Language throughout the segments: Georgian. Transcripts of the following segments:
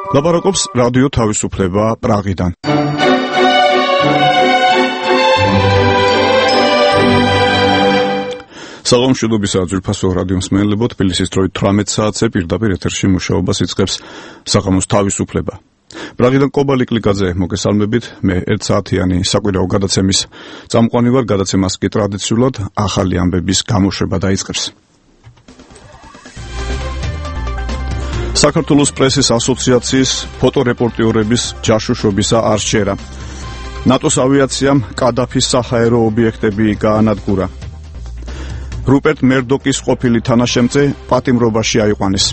ლაპარაკობს რადიო თავისუფლება პრაღიდან. საღამოშიდობისა ძვირფასო რადიო მსმენელებო, თბილისის დროით 18 საათზე პირდაპირ ეთერში მუშაობას იწყებს საღამოს თავისუფლება. პრაღიდან კობალი კლიკაძე მოგესალმებით, მე 1 საათიანი საკვირაო გადაცემის წამყვანი ვარ, გადაცემას კი ტრადიციულად ახალი ამბების გამოშვება დაიწყებს. საქართველოს პრესის ასოციაციის ფოტორეპორტიორების ჯაშუშობისა არ შეერა. ნატოს ავიაციამ კადაფის საჰაერო ობიექტები გაანადგურა. რუპერტ მერდოკის ყოფილი თანაშემწე პატიმრობაში აიყვანეს.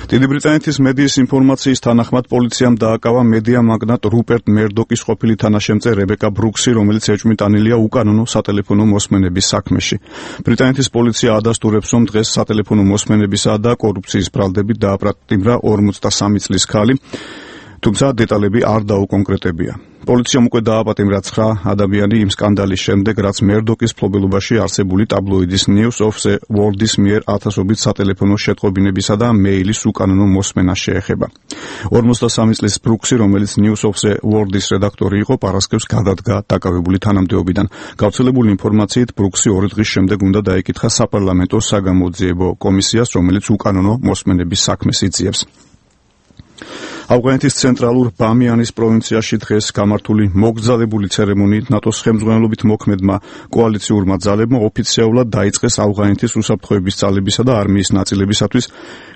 დიდი ბრიტანეთის მედიის ინფორმაციის თანახმად პოლიციამ დააკავა მედია მაგნატ რუპერტ მერდოკის ყოფილი თანაშემწე რებეკა ბრუქსი, რომელიც ეჭვმიტანილია უკანონო სატელეფონო მოსმენების საქმეში. ბრიტანეთის პოლიცია ადასტურებს, რომ დღეს სატელეფონო მოსმენებისა და კორუფციის ბრალდებით დააპატიმრა 43 წლის ქალი, თუმცა დეტალები არ დაუკონკრეტებია. პოლიციამ უკვე დააპატიმრა 9 ადამიანი იმ სკანდალის შემდეგ, რაც მერდოკის მფლობელობაში არსებული ტაბლოიდის News of the World-ის მიერ ათასობით სატელეფონო შეტყობინებისა და მეილის უკანონო მოსმენას შეეხება. 43 წლის ბრუქსი, რომელიც News of the World-ის რედაქტორი იყო, პარასკევს გადადგა დაკავებული თანამდებობიდან. გავრცელებული ინფორმაციით, ბრუქსი 2 დღის შემდეგ უნდა დაეკითხა საპარლამენტო საგამოძიებო კომისიას, რომელიც უკანონო მოსმენების საქმეს იძიებს. ავღანეთის ცენტრალურ ბამიანის პროვინციაში დღეს გამართული მოგზადებული ცერემონიით ნატოს ხელმძღვანელობით მოქმედმა კოალიციურმა ძალებმა ოფიციალურად დაიწყეს ავღანეთის უსაფრთხოების ძალებისა და არმიის ნაწილებისათვის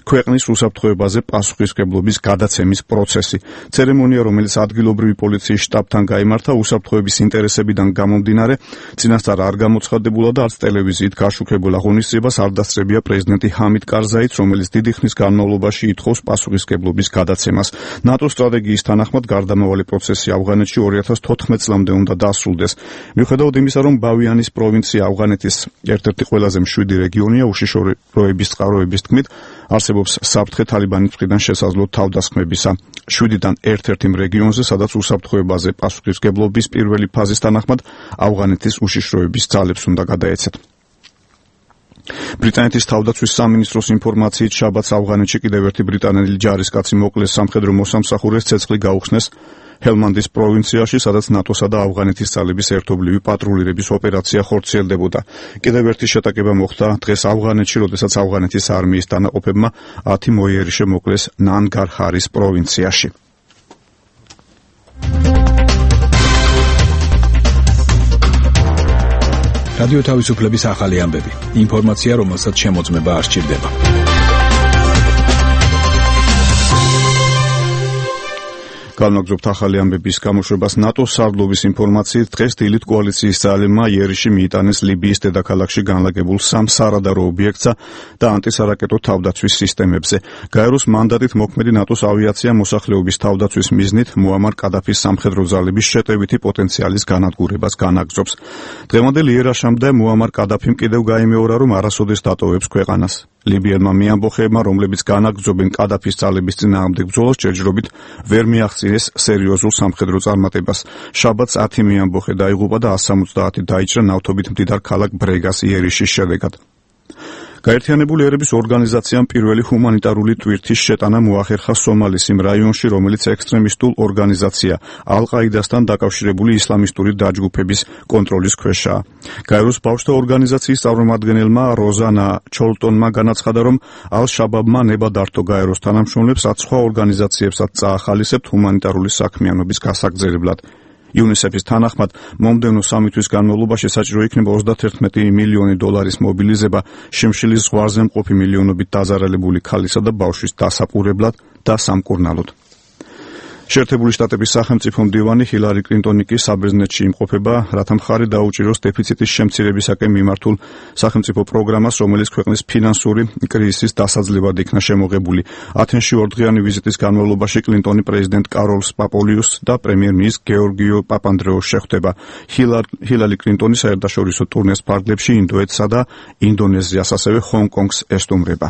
ქვეყნის უსაფრთხოებაზე პასუხისმგებლობის გადაცემის პროცესი. ცერემონია, რომელიც ადგილობრივი პოლიციის შტაბთან გაიმართა, უსაფრთხოების ინტერესებიდან გამომდინარე, წინასწარ არ გამოცხადებულა და არც ტელევიზიით გაშუქებულ აღონისძიებას არ დასწრებია პრეზიდენტი ჰამიდ კარზაიც, რომელიც დიდი ხნის განმავლობაში ითხოვს პასუხისმგებლობის გადაცემას. ნატოს სტრატეგიის თანახმად გარდამავალი პროცესი ავღანეთში 2014 წლამდე უნდა დასრულდეს. მიუხედავად იმისა, რომ ბავიანის პროვინცია ავღანეთის ერთ-ერთი ყველაზე მშვიდი რეგიონია, უშიშროების წყაროების თქმით, არსებობს საფრთხე თალიბანის მხრიდან შესაძლო თავდასხმებისა. 7-დან ერთ-ერთ იმ რეგიონზე, სადაც უსაფრთხოებაზე პასუხისმგებლობის პირველი ფაზის თანახმად ავღანეთის უშიშროების ძალებს უნდა გადაეცეთ. ბრიტანეთის თავდაცვის სამინისტროს ინფორმაციით, შაბათს ავღანეთში კიდევ ერთი ბრიტანელი ჯარისკაცი მოკლეს სამხედრო მოსამსახურეს ცეცხლი გაუხსნეს ჰელმანდის პროვინციაში, სადაც ნატოსა და ავღანეთის ძალების ერთობლივი პატრულირების ოპერაცია ხორციელდებოდა. კიდევ ერთი შეტაკება მოხდა დღეს ავღანეთში, როდესაც ავღანეთის არმიის დანაყოფებმა 10 მოიერიშე მოკლეს ნანგარჰარის პროვინციაში. რადიო თავისუფლების ახალი ამბები. ინფორმაცია, რომელსაც შემოწმება არ სჭირდება. განვაგრძობთ ახალი ამბების გამოშვებას. ნატოს სარდლობის ინფორმაციით, დღეს დილით კოალიციის ძალებმა იერიში მიიტანეს ლიბიის დედაქალაქში განლაგებულ 3 სარადარო ობიექტსა და ანტისარაკეტო თავდაცვის სისტემებზე. გაეროს მანდატით მოქმედი ნატოს ავიაცია მოსახლეობის თავდაცვის მიზნით მუამარ კადაფის სამხედრო ძალების შეტევითი პოტენციალის განადგურებას განაგრძობს. დღევანდელ იერაშამდე მუამარ კადაფიმ კიდევ გაიმეორა, რომ არასოდეს დატოვებს ქვეყანას. ლიბიელმა მეამბოხეებმა, რომლებიც განაგრძობენ კადაფის ძალების წინააღმდეგ ბრძოლას, ჯერჯერობით ვერ მიაღწიეს სერიოზულ სამხედრო წარმატებას. შაბათს 10 მეამბოხე დაიღუპა და 170 დაიჭრა ნავთობით მდიდარ ქალაქ ბრეგას იერიშის შედეგად. გაერთიანებული ერების ორგანიზაციამ პირველი ჰუმანიტარული ტვირთის შეტანა მოახერხა სომალის იმ რაიონში, რომელიც ექსტრემისტულ ორგანიზაცია ალ-ყაიდასთან დაკავშირებული ისლამისტური დაჯგუფების კონტროლის ქვეშაა. გაეროს ბავშვთა ორგანიზაციის წარმომადგენელმა როზანა ჩოლტონმა განაცხადა, რომ ალ-შაბაბმა ნება დართო გაეროს თანამშრომლებს, რაც სხვა ორგანიზაციებსაც წაახალისებთ ჰუმანიტარული საქმიანობის გასაგრძელებლად. იუნისეფის თანახმად, მომდევნო 3 თვის განმავლობაში საჭირო იქნება 31 მილიონი დოლარის მობილიზება შიმშილის ზღვარზე მყოფი მილიონობით დაზარალებული ქალისა და ბავშვის დასაპურებლად და სამკურნალოდ. შეერთებული შტატების სახელმწიფო მდივანი ჰილარი კლინტონი კი საბერძნეთში იმყოფება, რათა მხარი დაუჭიროს დეფიციტის შემცირებისაკენ მიმართულ სახელმწიფო პროგრამას, რომელიც ქვეყნის ფინანსური კრიზისის დასაძლევად იქნა შემოღებული. ათენში 2 დღიანი ვიზიტის განმავლობაში კლინტონი პრეზიდენტ კაროლს პაპოლიუსს და პრემიერ-მინისტრ გეორგიო პაპანდრეოს შეხვდება. ჰილარი კლინტონი საერთაშორისო ტურნეს ფარგლებში ინდოეთსა და ინდონეზიას, ასევე ჰონგ-კონგს ესტუმრება.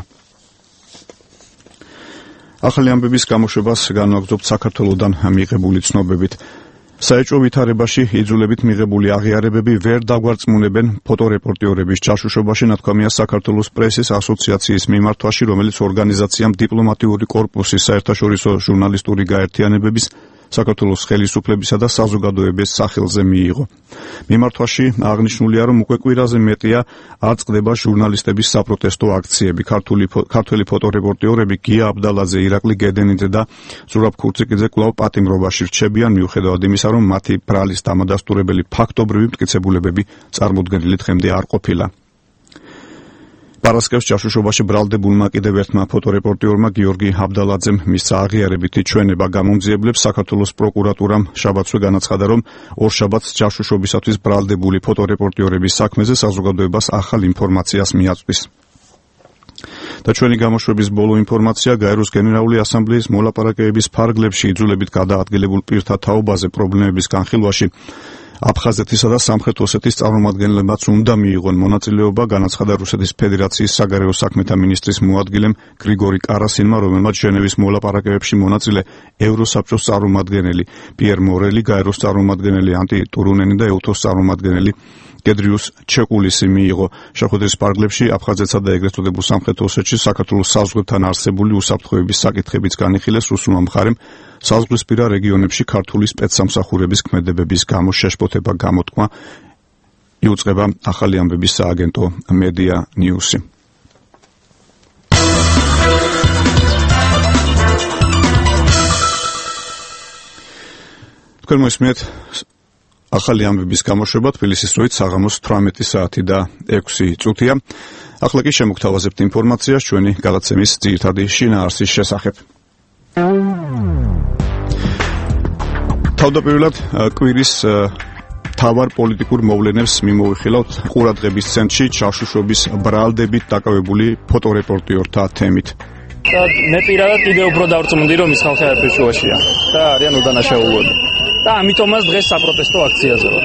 ახალი ამბების გამოშვებას განვაგრძობთ საქართველოდან მიღებული ცნობებით. საეჭვო ვითარებაში იძულებით მიღებული აღიარებები ვერ დაგვარწმუნებენ ფოტორეპორტიორების ჯაშუშობაში, ნათქვამია საქართველოს პრესის ასოციაციის მიმართვაში, რომელიც ორგანიზაციამ დიპლომატიური კორპუსის საერთაშორისო ჟურნალისტური გაერთიანებების საქართველოს ხელისუფლებისა და საზოგადოების სახელზე მიიღო. მიმართვაში აღნიშნულია, რომ უკვე კვირაზე მეტია არ წყდება ჟურნალისტების საპროტესტო აქციები. ქართველი ფოტორეპორტიორები გია აბდალაძე, ირაკლი გედენიძე და ზურაბ ქურციკიძე კვლავ პატიმრობაში რჩებიან, მიუხედავად იმისა, რომ მათი ბრალის დამადასტურებელი ფაქტობრივი მტკიცებულებები წარმოდგენილი დღემდე არ ყოფილა. პარასკევს ჯაშუშობაში ბრალდებულმა კიდევ ერთმა ფოტორეპორტიორმა გიორგი აბდალაძემ მისცა აღიარებითი ჩვენება გამომძიებლებს. საქართველოს პროკურატურამ შაბათსვე განაცხადა, რომ ორშაბათს ჯაშუშობისათვის ბრალდებული ფოტორეპორტიორების საქმეზე საზოგადოებას ახალ ინფორმაციას მიაწვდის. და ჩვენი გამოშვების ბოლო ინფორმაცია გაეროს გენერალური ასამბლეის მოლაპარაკებების ფარგლებში იძულებით გადაადგილებულ პირთა თაობაზე პრობლემების განხილვაში აფხაზეთისა და სამხრეთ ოსეთის წარმომადგენლებმაც უნდა მიიღონ მონაწილეობა, განაცხადა რუსეთის ფედერაციის საგარეო საქმეთა მინისტრის მოადგილემ გრიგორი კარასინმა, რომელმაც ჟენევის მოლაპარაკებებში მონაწილე ევროსაბჭოს წარმომადგენელი პიერ მორელი, გაეროს წარმომადგენელი ანტი ტურუნენი და ეუთოს წარმომადგენელი გედრიუს ჩეკულისი მიიღო. შეხვედრის ფარგლებში აფხაზეთსა და ეგრეთ წოდებულ სამხრეთ ოსეთში საქართველოს საზღვართან არსებული უსაფრთხოების საკითხებიც განიხილეს. რუსულმა მხარემ საზღვრისპირა რეგიონებში ქართული სპეცსამსახურების ქმედებების გამო შეშფოთება გამოთქვა, იუწყება ახალი ამბების სააგენტო მედია ნიუსი. თქვენ მოსმენთ ახალი ამბების გამოშვება თბილისის დროით საღამოს 18 საათი და 6 წუთია. ახლა კი შემოგთავაზებთ ინფორმაციას ჩვენი გადაცემის ძირითადი შინაარსის შესახებ. თავდაპირველად კვირის თავარ პოლიტიკურ მოვლენებს მიმოვიხილავთ ყურადღების ცენტრში ჯაშუშობის ბრალდებით დაკავებული ფოტორეპორტიორთა თემით. მე პირადად კიდევ უფრო დავწმუნდი, რომ ის ხალხი არაფერშუაშია და არიან უდანაშაულოები. და ამიტომაც დღეს საპროტესტო აქციაზე ვარ.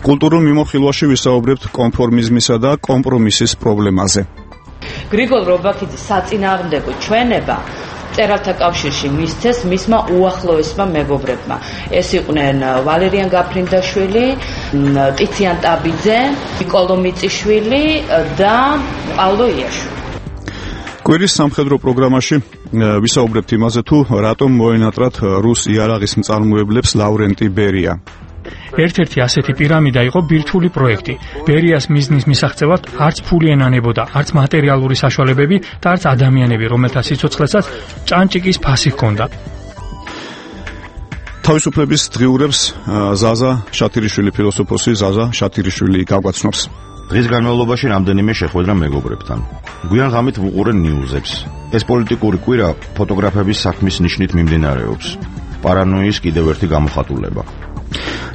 კულტურულ მიმოხილვაში ვისაუბრებთ კონფორმიზმისა და კომპრომისის პრობლემაზე. გრიგოლ რობაქიძის საწინააღმდეგო ჩვენება მწერალთა კავშირში მისცეს მისმა უახლოესმა მეგობრებმა. ეს იყვნენ ვალერიან გაფრინდაშვილი, ტიციან ტაბიძე, ნიკოლო მიწიშვილი და პავლო იაშვილი. კვირის სამხედრო პროგრამაში ვისაუბრებთ იმაზე, თუ რატომ მოენატრათ რუს იარაღის მწარმოებლებს ლავრენტი ბერია. ერთ-ერთი ასეთი პირამიდა იყო ბირთვული პროექტი. ბერიას მიზნის მისაღწევად არც ფული ენანებოდა, არც მატერიალური საშუალებები და არც ადამიანები, რომელთა სიცოცხლესაც ჭანჭიკის ფასი ჰქონდა. თავისუფლების დღიურებს ზაზა შათირიშვილი, ფილოსოფოსი ზაზა შათირიშვილი გაგვაცნობს. დღის განმავლობაში რამდენიმე შეხვედრა მეგობრებთან. გვიან ღამით ვუყურე ნიუზებს. ეს პოლიტიკური კვირა ფოტოგრაფების საქმის ნიშნით მიმდინარეობს. პარანოიის კიდევ ერთი გამოხატულება.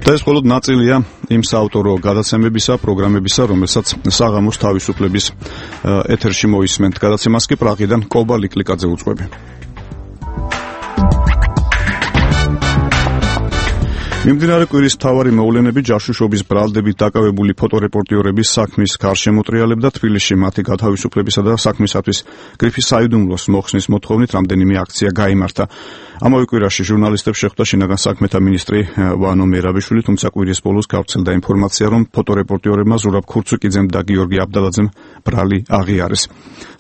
და ეს მხოლოდ ნაწილია იმ საავტორო გადაცემებისა, პროგრამებისა, რომელსაც საღამოს თავისუფლების ეთერში მოისმენთ. გადაცემას კი პრაღიდან კობა ლიკლიკაძე უძღვები. მიმდინარე კვირის მთავარი მოვლენები ჯაშუშობის ბრალდებით დაკავებული ფოტორეპორტიორების საქმის გარშემოტრიალებდა. თბილისში მათი გათავისუფლებისა და საქმისათვის გრიფი საიდუმლოს მოხსნის მოთხოვნით რამდენიმე აქცია გაიმართა. ამავე კვირაში ჟურნალისტებს შეხვდა შინაგან საქმეთა მინისტრი ვანო მერაბიშვილი, თუმცა კვირის ბოლოს გავრცელდა ინფორმაცია, რომ ფოტორეპორტიორებმა ზურაბ ქურცუკიძემ და გიორგი აბდალაძემ ბრალი აღიარეს.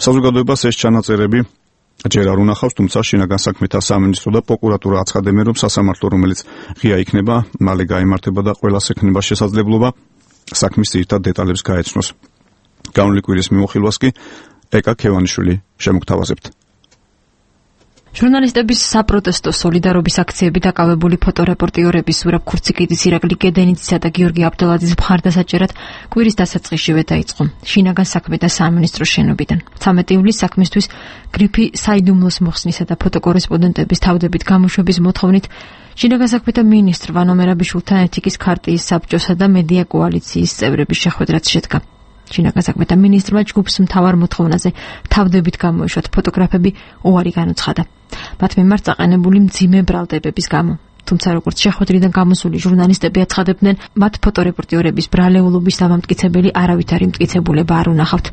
საზოგადოებას ეს ჩანაწერები ჯერ არ უნახავს, თუმცა შინაგან საქმეთა სამინისტრო და პროკურატურა აცხადებენ, რომ სასამართლო, რომელიც ღია იქნება, მალე გაიმართება და ყველას ექნება შესაძლებლობა საქმის ძირითად დეტალებს გაეცნოს. განვლილი კვირის მიმოხილვას კი ეკა ქევანიშვილი შემოგთავაზებთ. ჟურნალისტების საპროტესტო სოლიდარობის აქციები დაკავებული ფოტორეპორტიორების ზურაბ ქურციკიძის, ირაკლი გედენიძისა და გიორგი აბდალაძის მხარდასაჭერად კვირის დასაწყისშივე დაიწყო შინაგან საქმეთა სამინისტროს შენობიდან. 13 ივლისს საქმისთვის გრიფი საიდუმლოს მოხსნისა და ფოტოკორესპონდენტების თავდებით გამოშვების მოთხოვნით შინაგან საქმეთა მინისტრ ვანო მერაბიშვილთან ეთიკის ქარტიის საბჭოსა და მედია კოალიციის წევრების შეხვედრაც შედგა. შინაგან საქმეთა მინისტრმა ჯგუფს მთავარ მოთხოვნაზე თავდებით გამოეშვათ ფოტოგრაფები უარი განუცხადა. მათ მიმართ წაყენებული მძიმე ბრალდებების გამო. თუმცა როგორც შეხვედრიდან გამოსული ჟურნალისტები აცხადებდნენ, მათ ფოტორეპორტიორების ბრალეულობის დამამტკიცებელი არავითარი მტკიცებულება არ უნახავთ.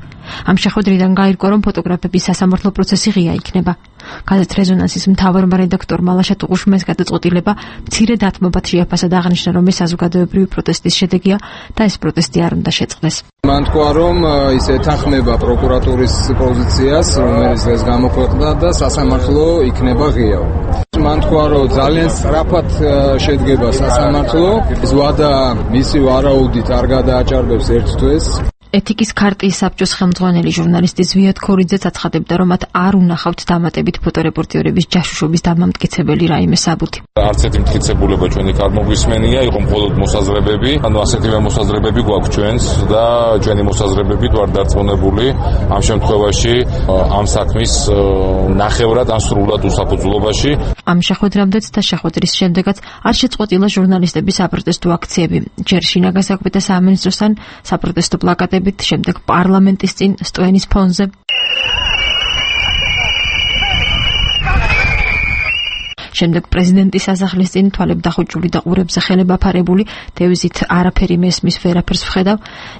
ამ შეხვედრიდან გაირკვა, რომ ფოტოგრაფების სასამართლო პროცესი ღია იქნება. გაზეთ რეზონანსის მთავარმა რედაქტორმა ლაშა ტუღუშმეს გადაწყვეტილება მცირე დათმობად შეაფასა და აღნიშნა, რომ ეს საზოგადოებრივი პროტესტის შედეგია და ეს პროტესტი არ უნდა შეწყდეს. მან თქვა, რომ ის ეთანხმება პროკურატურის პოზიციას, რომელიც დღეს გამოქვეყნდა და სასამართლო იქნება ღიავ. მან თქვა, რომ ძალიან სწრაფად შედგება სასამართლო, ეს ვადა მისი ვარაუდით არ გადააჭარბებს ერთ თვეს. ეთიკის ქარტიის საბჭოს ხელმძღვანელი ჟურნალისტი ზვიად ქორიძეც აცხადებდა, რომ მათ არ უნახავთ დამატებით ფოტორეპორტიორების ჯაშუშობის დამამტკიცებელი რაიმე საბუთი. არც ერთი მტკიცებულება ჩვენი არ მოგვისმენია, იყო მხოლოდ მოსაზრებები, ანუ ასეთივე მოსაზრებები გვაქვს ჩვენს და ჩვენი მოსაზრებებით ვარ დარწმუნებული ამ შემთხვევაში ამ საქმის ნახევრად ან სრულად უსაფუძვლობაში. ამ შეხვედრამდეც და შეხვედრის შემდეგაც არ შეწყვეტილა ჟურნალისტების საპროტესტო აქციები. ჯერ შინაგან საქმეთა სამინისტროსთან საპროტესტო პლაკატები, შემდეგ პარლამენტის წინ სტოენის ფონზე. შემდეგ პრეზიდენტის სასახლის წინ თვალებ დახუჭული და ყურებზე ხელება ფარებული დევიზით არაფერი მესმის ვერაფერს ვხედავ.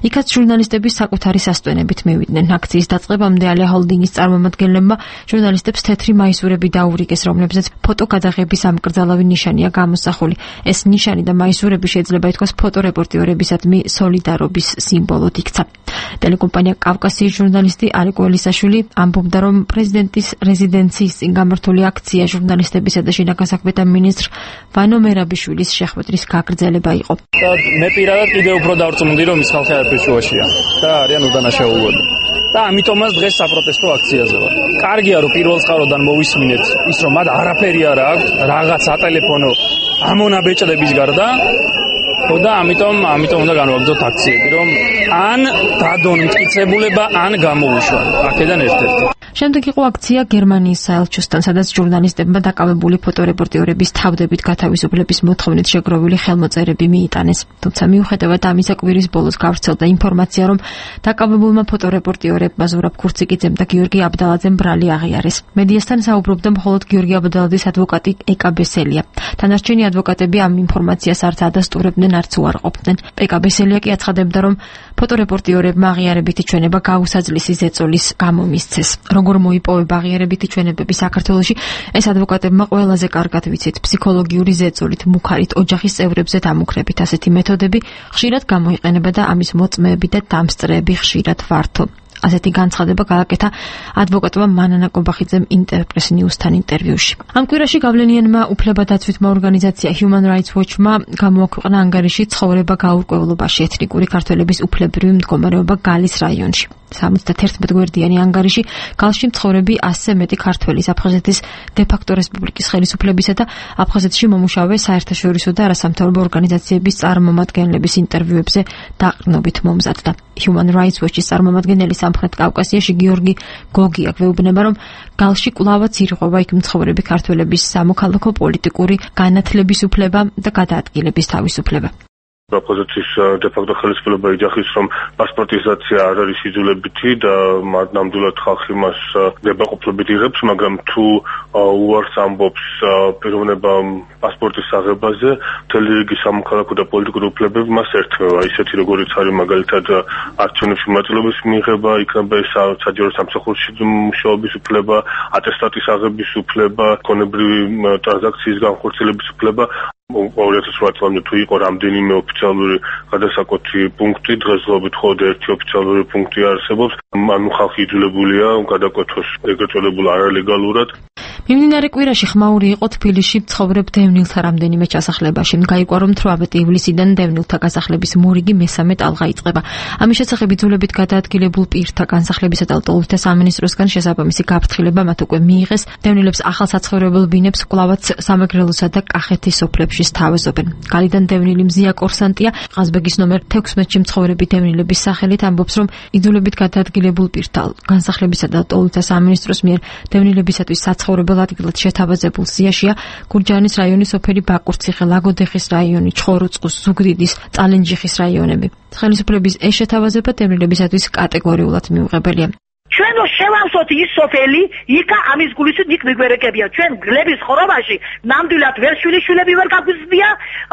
იქაც ჟურნალისტების საკუთარი სასტვენებით მივიდნენ. აქციის დაწყებამდე ალია ჰოლდინგის წარმომადგენლებმა ჟურნალისტებს თეთრი მაისურები დაურიგეს, რომლებზეც ფოტოგადაღების ამკრძალავი ნიშანია გამოსახული. ეს ნიშანი და მაისურები შეიძლება ითქვას ფოტორეპორტიორებისადმი სოლიდარობის სიმბოლოდ იქცა. ტელეკომპანია კავკასიის ჟურნალისტი არიკო ელისაშვილი ამბობდა, რომ პრეზიდენტის რეზიდენციის წინ გამართული აქცია ჟურნალისტებისა და შინაგან საქმეთა მინისტრ ვანო მერაბიშვილის შეხვედრის გაგრძელება იყო. და მე პირადად კიდევ უფრო დავწმუნდი, რომ ის ხალხი არაფერ შუაშია და არიან უდანაშაულოები. და ამიტომაც დღეს საპროტესტო აქციაზე ვარ. კარგია, რომ პირველ წყაროდან მოვისმინეთ ის, რომ მათ არაფერი არ აქვს, რაღაც სატელეფონო ამონაბეჭდების გარდა. და ამიტომ უნდა განვაგრძოთ აქციები, რომ ან დადონ მტკიცებულება, ან გამოვიშვან. აქედან ერთ-ერთი. შემდეგ იყო აქცია გერმანიის საელჩოსთან, სადაც ჟურნალისტებმა დაკავებული ფოტორეპორტიორების თავდებით გათავისუფლების მოთხოვნით შეგროვილი ხელმოწერები მიიტანეს. თუმცა მიუხედავად ამისა, კვირის ბოლოს გავრცელდა ინფორმაცია, რომ დაკავებულმა ფოტორეპორტიორებმა ზურაბ ქურციკიძემ და გიორგი აბდალაძემ ბრალი აღიარეს. მედიასთან საუბრობდა მხოლოდ გიორგი აბდალაძის ადვოკატი ეკა ბესელია. დანარჩენი ადვოკატები ამ ინფორმაციას არც ადასტურებდნენ, არც უარყოფდნენ. ეკა ბესელია კი აცხადებდა, რომ ფოტორეპორტიორებმა აღიარებითი ჩვენება გაუსაძლისი ზეწოლის გამო მისცეს. როგორ მოიპოვება აღიარებითი ჩვენებები საქართველოში, ეს ადვოკატებმა ყველაზე კარგად ვიცით. ფსიქოლოგიური ზეწოლით, მუქარით, ოჯახის წევრებზე დამუქრებით. ასეთი მეთოდები ხშირად გამოიყენება და ამის მოწმეები და დამსწრეები ხშირად ვართო. ასეთი განცხადება გააკეთა ადვოკატმა მანანა კობახიძემ ინტერპრეს ნიუსთან ინტერვიუში. ამ კვირაში გავლენიანმა უფლებადაცვითმა ორგანიზაცია Human Rights Watch-მა გამოაქვეყნა ანგარიში ცხოვრება გაურკვევლობაში ეთნიკური ქართველების უფლებრივი მდგომარეობა გალის რაიონში. 71 გვერდიანი ანგარიში გალში მცხოვრები 100-ზე მეტი ქართველის აფხაზეთის დე-ფაქტო რესპუბლიკის ხელისუფლებისა და აფხაზეთში მომუშავე საერთაშორისო და არასამთავრობო ორგანიზაციების წარმომადგენლების ინტერვიუებზე დაყრდნობით მომზადდა. Human Rights Watch-ის წარმომადგენელი სამხრეთ კავკასიაში გიორგი გოგია გვეუბნება, რომ გალში კვლავაც ირღვევა იქ მცხოვრები ქართველების სამოქალაქო პოლიტიკური განათლების უფლება და გადაადგილების თავისუფლება. აფხაზეთის დე-ფაქტო ხელისუფლება იძახის, რომ პასპორტიზაცია არ არის იძულებითი და ნამდვილად ხალხი მას ნებაყოფლობით იღებს, მაგრამ თუ უარს ამბობს პიროვნება პასპორტის აღებაზე, მთელი რიგი სამოქალაქო და პოლიტიკური უფლებები მას ერთვება, ისეთი როგორიც არის მაგალითად არჩევნებში მონაწილეობის მიღება, იქნება ეს საჯარო სამსახურში მუშაობის უფლება, ატესტატის აღების უფლება, კონებრივი ტრანზაქციის განხორციელების უფლება. 2008 წლამდე თუ იყო რამდენიმე ოფიციალური გადასაკვეთი პუნქტი, დღესდღეობით მხოლოდ ერთი ოფიციალური პუნქტი არსებობს. ანუ ხალხი იძულებულია გადაკვეთოს ეგრეთ წოდებულ არალეგალურად. მიმდინარე კვირაში ხმაური იყო თბილისში მცხოვრებ დევნილთა რამდენიმე ჩასახლებაში. გაიგო, რომ 18 ივლისიდან დევნილთა გასახლების მორიგი მესამე ტალღა იწყება. ამის შესახებ იძულებით გადაადგილებულ პირთა განსახლებისა და ლტოლვილთა სამინისტროსგან შესაბამისი გაფრთხილება მათ უკვე მიიღეს. დევნილებს ახალ საცხოვრებელ ბინებს კვლავაც სამეგრელოსა და კახეთის სოფლებში სთავაზობენ. გალიდან დევნილი მზია კორსანტია ყაზბეგის ნომერ 16-ში მცხოვრები დევნილების სახელით ამბობს, რომ იძულებით გადაადგილებულ პირთა განსახლებისა და ლტოლვილთა სამინისტროს მიერ დევნილებისათვის საცხოვრებელ ადგილად შეთავაზებულ სიაშია გურჯაანის რაიონის სოფელი ბაკურციხე, ლაგოდეხის რაიონი, ჩხოროწყუს, ზუგდიდის, წალენჯიხის რაიონები. ხელისუფლების ეს შეთავაზება დევნილებისათვის კატეგორიულად მიუღებელია. ჩვენ შევავსოთ ის სოფელი, იქა ამის გულისით იქ მიგვერეკებია. ჩვენ გლების ხორობაში ნამდვილად ვერ შვილიშვილები ვერ გაგვიზრდია,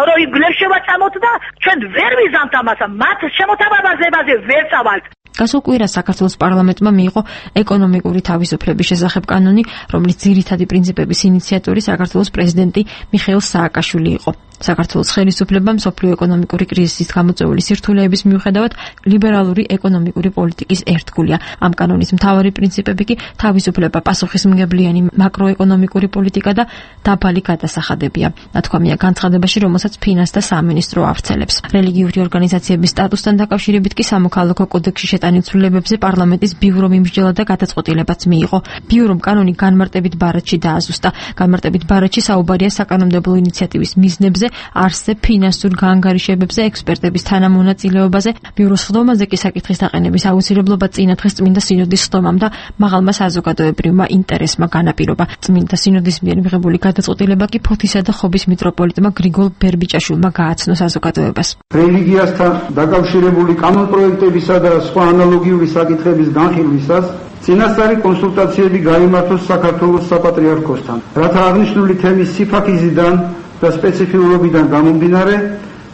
რომ იმ გლებს შევაწამოთ და ჩვენ ვერ ვიზამთ ამას, მათ შემოთავაზებაზე ვერ წავალთ. გასულ კვირას საქართველოს პარლამენტმა მიიღო ეკონომიკური თავისუფლების შესახებ კანონი, რომლის ძირითადი პრინციპების ინიციატორი საქართველოს პრეზიდენტი მიხეილ სააკაშვილი იყო. საქართველოს ხელისუფლებამ მსოფლიო ეკონომიკური კრიზისის გამოწვეული სირთულეების მიუხედავად ლიბერალური ეკონომიკური პოლიტიკის ერთგულია. ამ კანონის მთავარი პრინციპები კი თავისუფლება, პასუხისმგებლიანი მაკროეკონომიკური პოლიტიკა და დაბალი გადასახადებია. ნათქვამია განცხადებაში, რომელსაც ფინანსთა სამინისტრო ავრცელებს. რელიგიური ორგანიზაციების სტატუსთან დაკავშირებით კი სამოქალაქო კოდექსში შეტანილ ცვლილებებზე პარლამენტის ბიურო მიმსჯელა და გადაწყვეტილებაც მიიღო. ბიურომ კანონი განმარტებით ბარათში დააზუსტა. განმარტებით ბარათში საუბარია საკანონმდებლო ინიციატივის მიზნებზე, არსზე, ფინანსურ გაანგარიშებებზე, ექსპერტების თანამონაწილეობაზე. ბიუროს ხდომაზე კი საკითხის დაყენების აუცილებლობა წინა დღეს წმინდა სინოდის ხდომამ და მაღალმა საზოგადოებრივმა ინტერესმა განაპირობა. წმინდა სინოდის მიერ მიღებული გადაწყვეტილება კი ფოთისა და ხობის მიტროპოლიტმა გრიგოლ ბერბიჭაშვილმა გააცნო საზოგადოებას. რელიგიასთან დაკავშირებული კანონპროექტებისა და სხვა ანალოგიური საკითხების განხილვისას წინასწარი კონსულტაციები გაიმართოს საქართველოს საპატრიარქოსთან, რათა აღნიშნული თემის სიფაქიზიდან და სპეციფიურობიდან გამომდინარე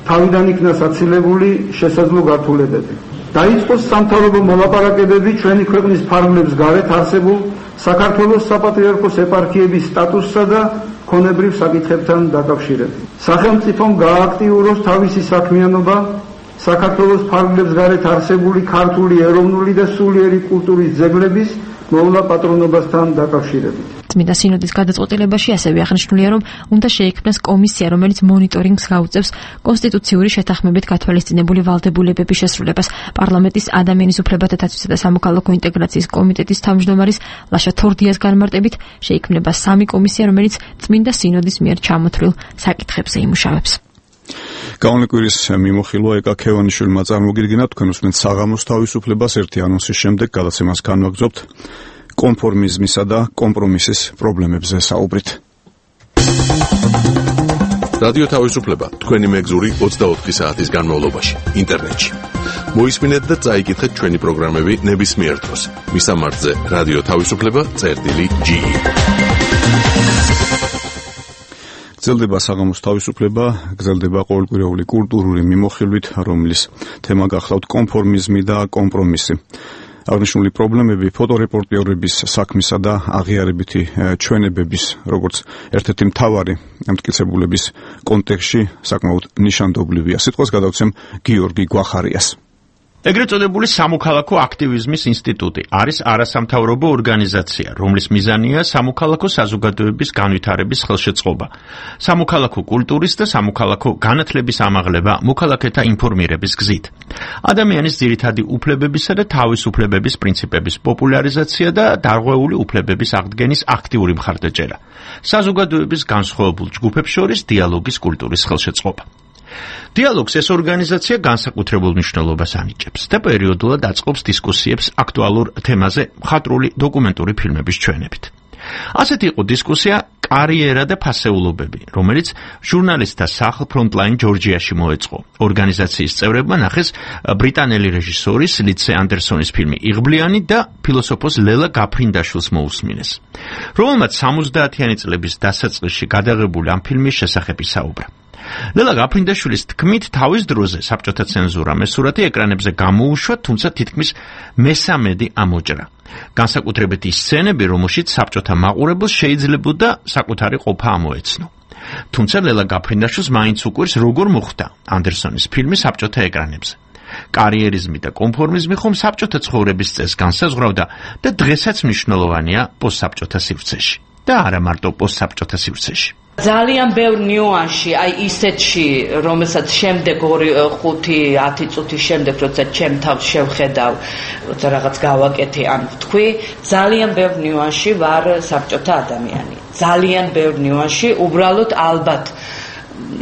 თავიდან იქნა საცილებული შესაძლო გართულებები. დაიწყოს სამთავრობო მოლაპარაკებები ჩვენი ქვეყნის ფარგლებს გარეთ არსებულ საქართველოს საპატრიარქოს ეპარქიების სტატუსსა და ქონებრივ საკითხებთან დაკავშირებით. სახელმწიფომ გააქტიუროს თავისი საქმიანობა საქართველოს ფარგლებს გარეთ არსებული ქართული ეროვნული და სულიერი კულტურის ძეგლების მოვლა პატრონობასთან დაკავშირებით. წმინდა სინოდის გადაწყვეტილებაში ასევე აღნიშნულია, რომ უნდა შეიქმნას კომისია, რომელიც მონიტორინგს გაუწევს კონსტიტუციური შეთანხმებით გათვალისწინებული ვალდებულებების შესრულებას. პარლამენტის ადამიანის უფლებათა დაცვისა და სამოქალაქო ინტეგრაციის კომიტეტის თავმჯდომარის ლაშა თორდიას განმარტებით შეიქმნება 3 კომისია, რომელიც წმინდა სინოდის მიერ ჩამოთვლილ საკითხებზე იმუშავებს. გაუნეკვირის მიმოხილვა ეკა ქევანიშვილმა წარმოგიდგინა, თქვენ უსმენთ საღამოს თავისუფლებას ერთი ანონსის შემდეგ გადაცემას განვაგრძობთ კონფორმიზმისა და კომპრომისის პრობლემებზე საუბრით. რადიო თავისუფლება თქვენი მეგზური 24 საათის განმავლობაში ინტერნეტში. მოისმინეთ და წაიკითხეთ ჩვენი პროგრამები ნებისმიერ დროს. მისამართზე რადიო თავისუფლება.ge. გრძელდება საღამოს თავისუფლება, გრძელდება ყოველკვირეული კულტურული მიმოხილვით, რომლის თემა გახლავთ კონფორმიზმი და კომპრომისი. აღნიშნული პრობლემები ფოტორეპორტიორების საქმისა და აღიარებითი ჩვენებების, როგორც ერთ-ერთი მთავარი მტკიცებულების კონტექსტში საკმაოდ ნიშანდობლივია. სიტყვას გადავცემ გიორგი გვახარიას. ეგრეთ წოდებული სამოქალაქო აქტივიზმის ინსტიტუტი არის არასამთავრობო ორგანიზაცია, რომლის მიზანია სამოქალაქო საზოგადოების განვითარების ხელშეწყობა, სამოქალაქო კულტურის და სამოქალაქო განათლების ამაღლება მოქალაქეთა ინფორმირების გზით, ადამიანის ძირითადი უფლებებისა და თავისუფლებების პრინციპების პოპულარიზაცია და დარღვეული უფლებების აღდგენის აქტიური მხარდაჭერა, საზოგადოების განსხვავებულ ჯგუფებს შორის დიალოგის კულტურის ხელშეწყობა. დიალოგს ეს ორგანიზაცია განსაკუთრებულ მნიშვნელობას ანიჭებს და პერიოდულად აწყობს დისკუსიებს აქტუალურ თემაზე მხატვრული დოკუმენტური ფილმების ჩვენებით. ასეთი იყო დისკუსია კარიერა და ფასეულობები, რომელიც ჟურნალისტთა სახლ ფრონტლაინ ჯორჯიაში მოეწყო. ორგანიზაციის წევრებმა ნახეს ბრიტანელი რეჟისორის ლიცე ანდერსონის ფილმი „იღბლიანი“ და ფილოსოფოს ლელა გაფრინდაშვილს მოусმინეს, რომელმაც 70-იანი წლების დასაწყისში გადაღებული ამ ფილმის შესახებ ისაუბრა. ლელა გაფრინდაშვილის თქმით, თავის დროზე საბჭოთა ცენზურამ ეს სურათი ეკრანებზე გამოუშვა, თუმცა თითქმის მესამედი ამოჭრა. განსაკუთრებით ის სცენები, რომელშიც საბჭოთა მაყურებელს შეიძლებოდა საკუთარი ყოფა ამოეცნო. თუმცა ლელა გაფრინდაშვილს მაინც უყვირს, როგორ მოხვდა ანდერსონის ფილმი საბჭოთა ეკრანებზე. კარიერიზმი და კონფორმიზმი ხომ საბჭოთა ცხოვრების წესს განსაზღვრავდა და დღესაც მნიშვნელოვანია პოსტსაბჭოთა სივრცეში და არა მარტო პოსტსაბჭოთა სივრცეში. ძალიან ბევრ ნიუანსში, აი ისეთში, რომელსაც შემდეგ 5-10 წუთის შემდეგ, როცა ჩემ თავს შევხედავ, როცა რაღაც გავაკეთე, ან ვთქვი, ძალიან ბევრ ნიუანსში ვარ საბჭოთა ადამიანი. ძალიან ბევრ ნიუანსში, უბრალოდ ალბათ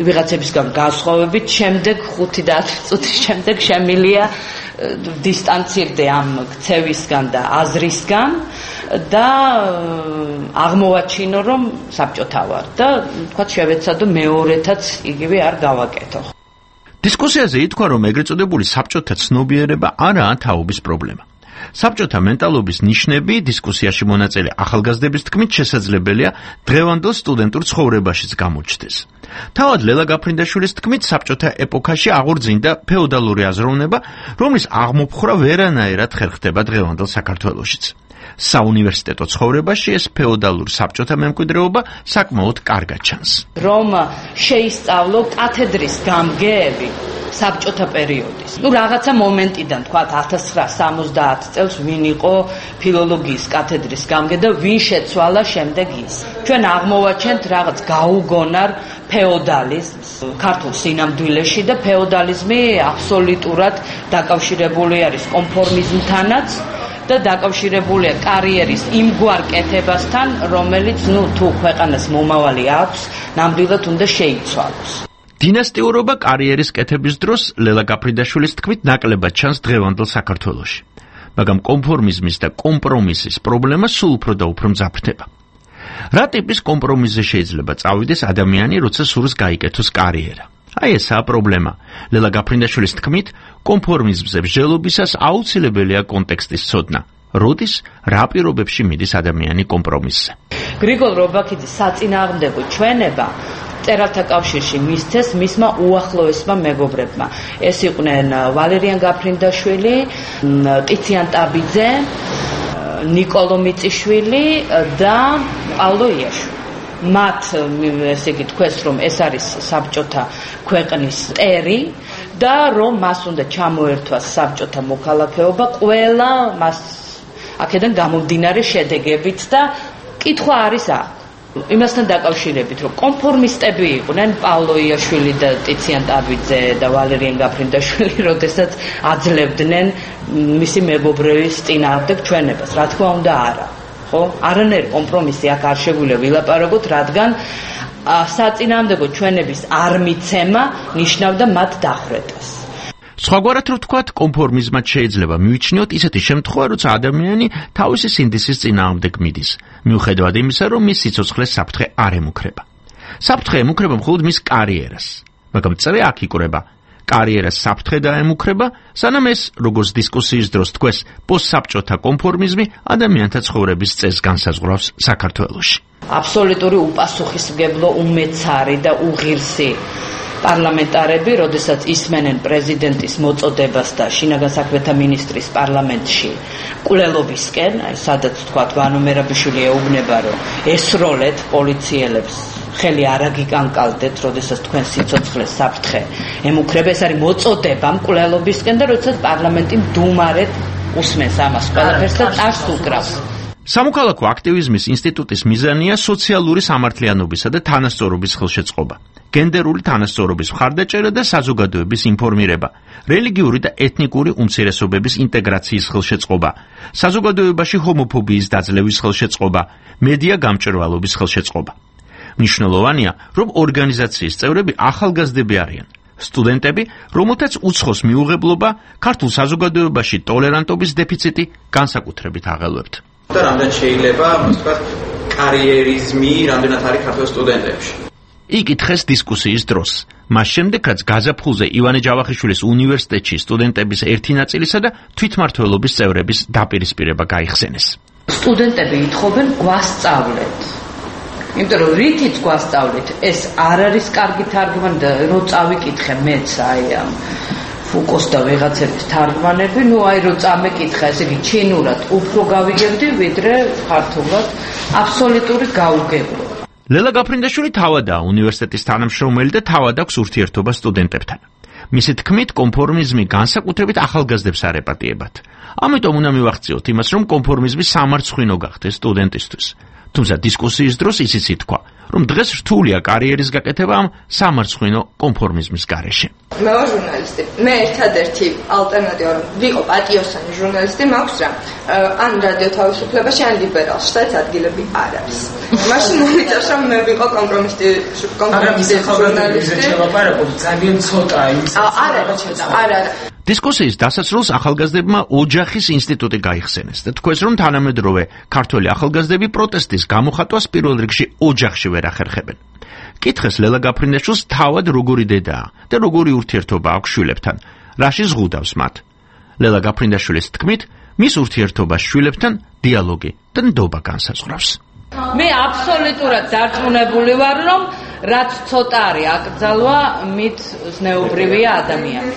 ვიღაცებისგან განსხვავებით, შემდეგ 5-10 წუთის შემდეგ შემილია დისტანცირდე ამ ქცევისგან და აზრისგან და აღმოვაჩინო, რომ საბჭოთა ვარ და თქვა შევეცადო მეორეთაც იგივე არ გავაკეთო. დისკუსიაზე ითქვა, რომ ეგრეთ წოდებული საბჭოთა ცნობიერება არაა თაობის პრობლემა. საბჭოთა მენტალობის ნიშნები დისკუსიაში მონაწილე ახალგაზრდების თქმით შესაძლებელია დღევანდელ სტუდენტურ ცხოვრებაშიც გამოჩნდეს. თავად ლელა გაფრინდაშვილის თქმით საბჭოთა ეპოქაში აღორძინდა ფეოდალური აზროვნება, რომლის აღმოფხვრა ვერანაირად ხერხდება დღევანდელ საქართველოშიც. საუნივერსიტეტო ცხოვრებაში ეს ფეოდალურ საბჭოთა მემკვიდრეობა საკმაოდ კარგად ჩანს. რომ შეისწავლო კათედრის გამგეები საბჭოთა პერიოდის. რაღაცა მომენტიდან, თქვათ 1970 წელს ვინ იყო ფილოლოგიის კათედრის გამგე და ვინ შეცვალა შემდეგ ის. ჩვენ აღმოვაჩენთ რაღაც გაუგონარ ფეოდალიზმს ქართულ სინამდვილეში და ფეოდალიზმი აბსოლუტურად დაკავშირებული არის კონფორმიზმთანაც და დაკავშირებულია კარიერის იმგვარ კეთებასთან, რომელიც თუ ქვეყანას მომავალი აქვს, ნამდვილად უნდა შეიცვალოს. დინასტიურობა კარიერის კეთების დროს ლელა გაფრინდაშვილის თქმით ნაკლებად ჩანს დღევანდელ საქართველოში. მაგრამ კონფორმიზმის და კომპრომისის პრობლემა სულ უფრო და უფრო მძაფრდება. რა ტიპის კომპრომისზე შეიძლება წავიდეს ადამიანი, როცა სურს გაიკეთოს კარიერა? აი ესაა პრობლემა. ლელა გაფრინდაშვილის თქმით, კონფორმიზმზე მსჯელობისას აუცილებელია კონტექსტის ცოდნა. როდის, რა პირობებში მიდის ადამიანი კომპრომისზე? გრიგოლ რობაქიძის საწინააღმდეგო ჩვენება მწერალთა კავშირში მისცეს მისმა უახლოესმა მეგობრებმა. ეს იყვნენ ვალერიან გაფრინდაშვილი, ტიციან ტაბიძე, ნიკოლო მიწიშვილი და პავლო იაშვილი. მათ ესე იგი თქვეს, რომ ეს არის საბჭოთა ქვეყნის ტერი და რომ მას უნდა ჩამოერთვას საბჭოთა მოქალაქეობა ყველა მას აქედან გამომდინარე შედეგებით და კითხვა არის აქ. იმასთან დაკავშირებით, რომ კონფორმისტები იყვნენ პავლო იაშვილი და ტიციან ტაბიძე და ვალერიან გაფრინდაშვილი, როდესაც აძლევდნენ მისი მეგობრების წინააღმდეგ ჩვენებას. რა თქმა უნდა, არა. ხო? არანაირი კომპრომისი აქ არ შეგვიძლია ვილაპარაკოთ, რადგან საწინააღმდეგო ჩვენების არ მიცემა ნიშნავდა მათ დახვრეტას. სხვაგვარად რო ვთქვათ, კონფორმიზმად შეიძლება მივიჩნიოთ ისეთი შემთხვევა, როცა ადამიანი თავისი სინდისის წინააღმდეგ მიდის, მიუხედავად იმისა, რომ მის სიცოცხლეს საფრთხე არ ემუქრება. საფრთხე ემუქრება მხოლოდ მის კარიერას, მაგრამ წრე აქ იკვრება. კარიერას საფრთხე დაემუქრება, სანამ ეს, როგორც დისკუსიის დროს თქვეს, პოსტსაბჭოთა კონფორმიზმი ადამიანთა ცხოვრების წესს განსაზღვრავს საქართველოში. აბსოლუტური უპასუხისმგებლო, უმეცარი და უღირსი პარლამენტარები, როდესაც ისმენენ პრეზიდენტის მოწოდებას და შინაგან საქმეთა მინისტრის პარლამენტში კვლელობისკენ, აი სადაც თქვა ვანო მერაბიშვილი ეუბნება, რომ ესროლეთ პოლიციელებს, ხელი არ აგიკანკალდეთ, როდესაც თქვენ სიცოცხლეს საფრთხე ემუქრება, ეს არის მოწოდება მკვლელობისკენ და როდესაც პარლამენტი მდუმარედ უსმენს ამას ყველაფერს და წარს უკრავს. სამოქალაქო აქტივიზმის ინსტიტუტის მიზანია სოციალური სამართლიანობისა და თანასწორობის ხელშეწყობა, გენდერული თანასწორობის მხარდაჭერა და საზოგადოების ინფორმირება, რელიგიური და ეთნიკური უმცირესობების ინტეგრაციის ხელშეწყობა, საზოგადოებაში ჰომოფობიის დაძლევის ხელშეწყობა, მედია გამჭვირვალობის ხელშეწყობა. მნიშვნელოვანია, რომ ორგანიზაციის წევრები ახალგაზრდები არიან, სტუდენტები, რომელთაც უცხოს მიუღებლობა, ქართულ საზოგადოებაში ტოლერანტობის დეფიციტი განსაკუთრებით აღელვებთ. და რამდენ შეიძლება, ვთქვათ, კარიერიზმი რამდენად არის ქართულ სტუდენტებში. იკითხეს დისკუსიის დროს. მას შემდეგ, რაც გაზაფხულზე ივანე ჯავახიშვილის უნივერსიტეტში სტუდენტების ერთი ნაწილისა და თვითმმართველობის წევრების დაპირისპირება გაიხსენეს. სტუდენტები ითხოვენ გვასწავლეთ. იმიტომ რომ რითიც გვასწავლეთ, ეს არ არის კარგი თარგმანი და რო წავიკითხე მეც აი ამ ფუკოს და ვიღაცების თარგმანები, ნუ აი რო წამეკითხა, ესე იგი ჩინურად უფრო გავიგებდი, ვიდრე ქართულად, აბსოლუტური გაუგებრობა. ლელა გაფრინდაშვილი თავადაა უნივერსიტეტის თანამშრომელი და თავად აქვს ურთიერთობა სტუდენტებთან. მისი თქმით, კონფორმიზმი განსაკუთრებით ახალგაზრდებს არ ეპატიებათ. ამიტომ უნდა მივახციოთ იმას, რომ კონფორმიზმი სამარცხვინო გახდეს სტუდენტისთვის. თუმცა დისკუსიის დროს ისიც ითქვა, რომ დღეს რთულია კარიერის გაკეთება ამ სამარცხვინო კონფორმიზმის გარეშე. მე ვარ ჟურნალისტი. მე ერთადერთი ალტერნატივა რომ ვიყო პატიოსანი ჟურნალისტი მაქვს რა. ან რადიო თავისუფლებაში, ან ლიბერალში, სადაც ადგილები არ არის. მაშინ მომიწევს რომ მე ვიყო კომპრომისი ჟურნალისტი. ძალიან ცოტაა ის. არა. დისკუსიის დასასრულს ახალგაზრდებმა ოჯახის ინსტიტუტი გაიხსენეს და თქვეს, რომ თანამედროვე ქართველი ახალგაზრდები პროტესტის გამოხატვას პირველ რიგში ოჯახში ვერ ახერხებენ. კითხეს ლელა გაფრინდაშვილს თავად როგორი დედაა და როგორი ურთიერთობა აქვს შვილებთან, რაში ზღუდავს მათ. ლელა გაფრინდაშვილის თქმით, მის ურთიერთობას შვილებთან დიალოგი და ნდობა განსაზღვრავს. მე აბსოლუტურად დარწმუნებული ვარ, რომ რაც ცოტა არის აკრძალვა, მით ზნეობრივია ადამიანი.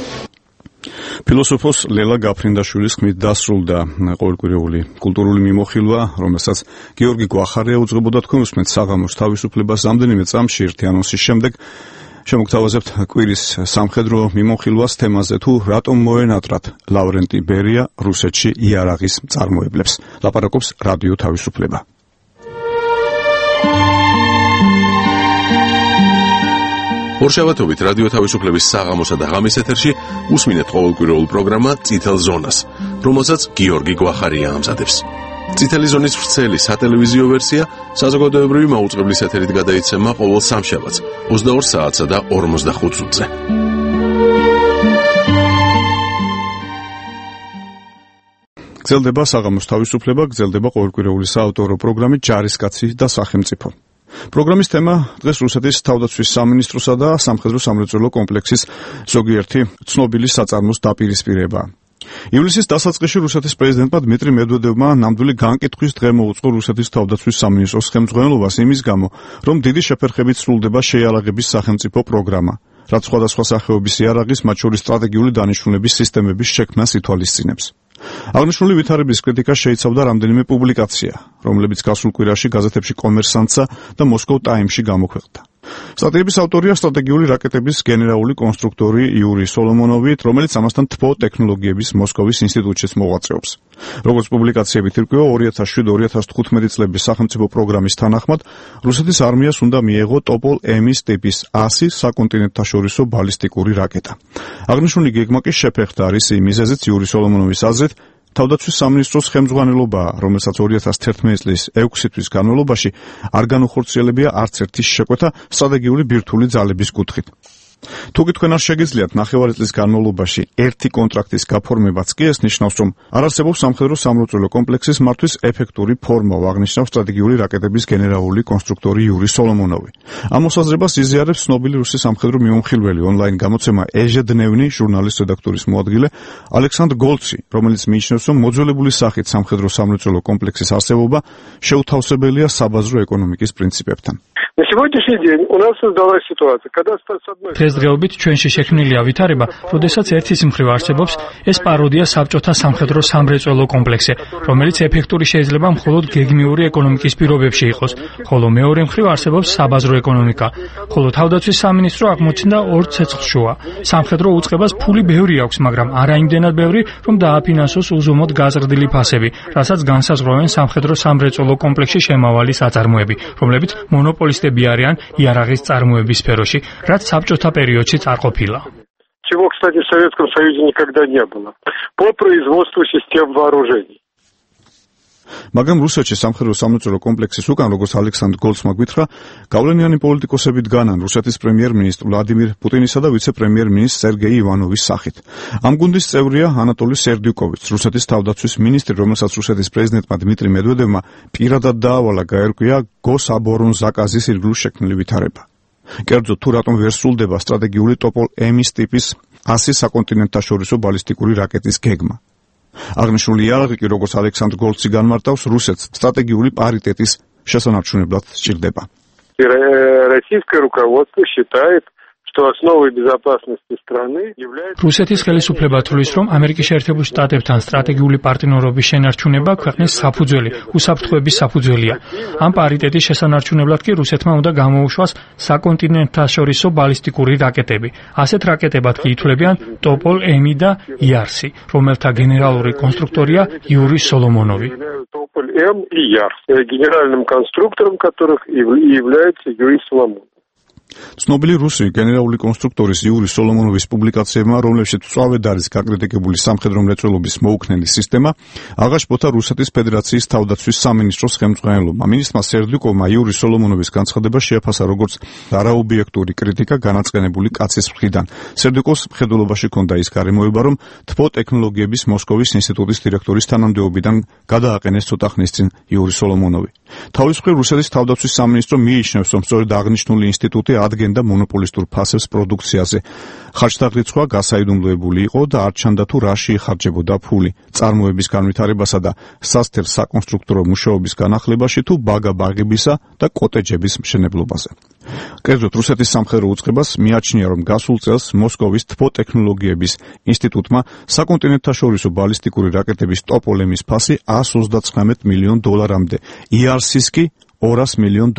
ფილოსოფოს ლელა გაფრინდაშვილის ხმით დასრულდა ყოველკვირეული კულტურული მიმოხილვა, რომელსაც გიორგი გვახარია უძღვებოდა. თქვენ უსმენთ საღამოს თავისუფლებას. რამდენიმე წამში ერთი ანონსის შემდეგ შემოგთავაზებთ კვირის სამხედრო მიმოხილვას თემაზე თუ რატომ მოენატრათ ლავრენტი ბერია რუსეთში იარაღის მწარმოებლებს. ლაპარაკობს რადიო თავისუფლება. ორშაბათობით რადიო თავისუფლების საღამოსა და ღამის ეთერში უსმინეთ ყოველკვირეულ პროგრამა წითელ ზონას, რომელსაც გიორგი გვახარია ამზადებს. წითელი ზონის ვრცელი სატელევიზიო ვერსია საზოგადოებრივი მაუწყებლის ეთერით გადაიცემა ყოველ სამშაბათს 22 საათსა და 45 წუთზე. გრძელდება საღამოს თავისუფლება, გრძელდება ყოველკვირეული საავტორო პროგრამი ჯარისკაცი და სახელმწიფო. პროგრამის თემა დღეს რუსეთის თავდაცვის სამინისტროსა და სამხედრო სამრეწველო კომპლექსის ზოგიერთი ცნობილი საწარმოს დაპირისპირება. ივლისის დასაწყისში რუსეთის პრეზიდენტმა დმიტრი მედვედევმა ნამდვილი განკითხვის დღე მოუწყო რუსეთის თავდაცვის სამინისტროს ხელმძღვანელობას იმის გამო, რომ დიდი შეფერხებით სრულდება შეიარაღების სახელმწიფო პროგრამა, რაც სხვადასხვა სახეობის იარაღის, მათ შორის სტრატეგიული დანიშნულების სისტემების შექმნას ითვალისწინებს. აღნიშნული ვითარების კრიტიკა შეიცავდა რამდენიმე პუბლიკაცია, რომლებიც გასულ კვირაში გაზეთებში კომერსანტსა და მოსკოვ ტაიმსში გამოქვეყნდა. სტატიების ავტორია სტრატეგიული რაკეტების გენერალური კონსტრუქტორი იური სოლომონოვი, რომელიც ამასთან თბო ტექნოლოგიების მოსკოვის ინსტიტუტშიც მოღვაწეობს. როგორც პუბლიკაციებით ირკვევა, 2007-2015 წლების სახელმწიფო პროგრამის თანახმად, რუსეთის არმიას უნდა მიეღო ტოპოლ-ემის ტიპის 100 საკონტინენტთაშორისო ბალისტიკური რაკეტა. აღნიშნული გეგმა კი შეფერხდა რისი მიზეზით იური სოლომონოვის აზრით თავდაცვის სამინისტროს ხელმძღვანელობაა, რომელსაც 2011 წლის 6 თვის განმავლობაში არ განუხორციელებია არც ერთი შეკვეთა სტრატეგიული ბირთვული ძალების კუთხით. თუკი თქვენ არ შეგიძლიათ ნახევარი წლის განმავლობაში ერთი კონტრაქტის გაფორმებაც კი ეს ნიშნავს, რომ არ არსებობს სამხედრო სამრეწველო კომპლექსის მართვის ეფექტური ფორმა, აღნიშნავს სტრატეგიული რაკეტების გენერალური კონსტრუქტორი იური სოლომონოვი. ამ მოსაზრებას იზიარებს ცნობილი რუსი სამხედრო მიმოხილველი ონლაინ გამოცემა ეჟედნევნი ჟურნალის რედაქტორის მოადგილე ალექსანდრ გოლცი, რომელიც მიიჩნევს, რომ მოძველებული სახით სამხედრო სამრეწველო კომპლექსის არსებობა შეუთავსებელია საბაზრო ეკონომიკის პრინციპებთან. На сегодняшний день у нас создалась ситуация, когда с одной დღესდღეობით ჩვენში შექმნილია ვითარება, როდესაც ერთის მხრივ არსებობს ეს პაროდია საბჭოთა სამხედრო სამრეწველო კომპლექსი, რომელიც ეფექტური შეიძლება მხოლოდ გეგმიური ეკონომიკის პირობებში იყოს, ხოლო მეორე მხრივ არსებობს საბაზრო ეკონომიკა, ხოლო თავდაცვის სამინისტრო აღმოჩნდა ორ ცეცხლშუა. სამხედრო უწყებას ფული ბევრი აქვს, მაგრამ არა იმდენად ბევრი, რომ დააფინანსოს უზომოდ გაზრდილი ფასები, რასაც განსაზღვრავენ სამხედრო სამრეწველო კომპლექსში შემავალი საწარმოები, რომლებიც მონოპოლისტები არიან იარაღის წარმოების სფეროში, რაც საბჭოთა периодში არ ყოფილა. Чего, кстати, в Советском Союзе никогда не было. По производству систем вооружений. მაგრამ რუსეთში სამხედრო სამრეწველო კომპლექსის უკან, როგორც ალექსანდრ გოლცმა გითხრა, გავლენიანი პოლიტიკოსები დგანან რუსეთის პრემიერ-მინისტრ ვლადიმირ პუტინისა და ვიცე-პრემიერ-მინისტრ სერგეი ივანოვის სახით. ამ გუნდის წევრია ანატოლი სერდიუკოვიც, რუსეთის თავდაცვის მინისტრი, რომელსაც რუსეთის პრეზიდენტმა დმიტრი მედვედევმა პირადად დაავალა გაერკვია გოსაბორონზაკაზის ირგვლივ შექმნილი ვითარება. კერძოდ, თუ რატომ ვერ სრულდება სტრატეგიული ტოპოლ-ემის ტიპის 100 საკონტინენტთაშორისო ბალისტიკური რაკეტის გეგმა. აღნიშნული იარაღი კი, როგორც ალექსანდრ გოლცი განმარტავს, რუსეთს სტრატეგიული პარიტეტის შესანარჩუნებლად სჭირდება. Российское руководство считает, что основой безопасности страны является რუსეთის ხელისუფლება თვლის, რომ ამერიკის შეერთებულ შტატებთან სტრატეგიული პარტნიორობის შენარჩუნება ქვეყნის საფუძველი, უსაფრთხოების საფუძველია. ამ პარიტეტის შესანარჩუნებლად კი რუსეთმა უნდა გამოუშვას საკონტინენტთაშორისო ბალისტიკური რაკეტები. ასეთ რაკეტებად კი ითვლებიან ტოპოლ-ემი და იარსი, რომელთა გენერალური კონსტრუქტორია იური სოლომონოვი. Тополь-М и Ярс, генеральным конструктором которых является Юрий Соломонов. ცნობილი რუსი გენერალური კონსტრუქტორის იური სოლომონოვის პუბლიკაციებმა, რომლებშიც მწვავედ არის გაკრიტიკებული სამხედრო მრეწველობის მოუქნელი სისტემა, აღაშფოთა რუსეთის ფედერაციის თავდაცვის სამინისტროს ხელმძღვანელობამ. მინისტრმა სერდიუკოვმა იური სოლომონოვის განცხადება შეაფასა როგორც არაობიექტური კრიტიკა განაწყენებული კაცის მხრიდან. სერდიუკოვს მხედველობაში ჰქონდა ის გარემოება, რომ თბო ტექნოლოგიების მოსკოვის ინსტიტუტის დირექტორის თანამდებობიდან გადააყენეს ცოტა ხნის წინ იური სოლომონოვი. თავის მხრივ რუსეთის თავდაცვის სამინისტრო მიიჩნევს, რომ სწორედ აღნიშნული ინსტიტუტი ადგენდა მონოპოლისტურ ფასებს პროდუქციაზე. ხარჯთაღრიცხვა გასაიდუმლოებული იყო და არ ჩანდა თუ რაში იხარჯებოდა ფული, წარმოების განვითარებასა და სასთელ საკონსტრუქტორო მუშაობის განახლებაში თუ ბაგა-ბაღებისა და კოტეჯების მშენებლობაზე. კერძოდ რუსეთის სამხედრო უწყებას მიაჩნია, რომ გასულ წელს მოსკოვის თბოტექნოლოგიების ინსტიტუტმა საკონტინენტთაშორისო ბალისტიკური რაკეტების ტოპოლემის ფასი $139 მილიონ, IRC-ს კი $200 მილიონ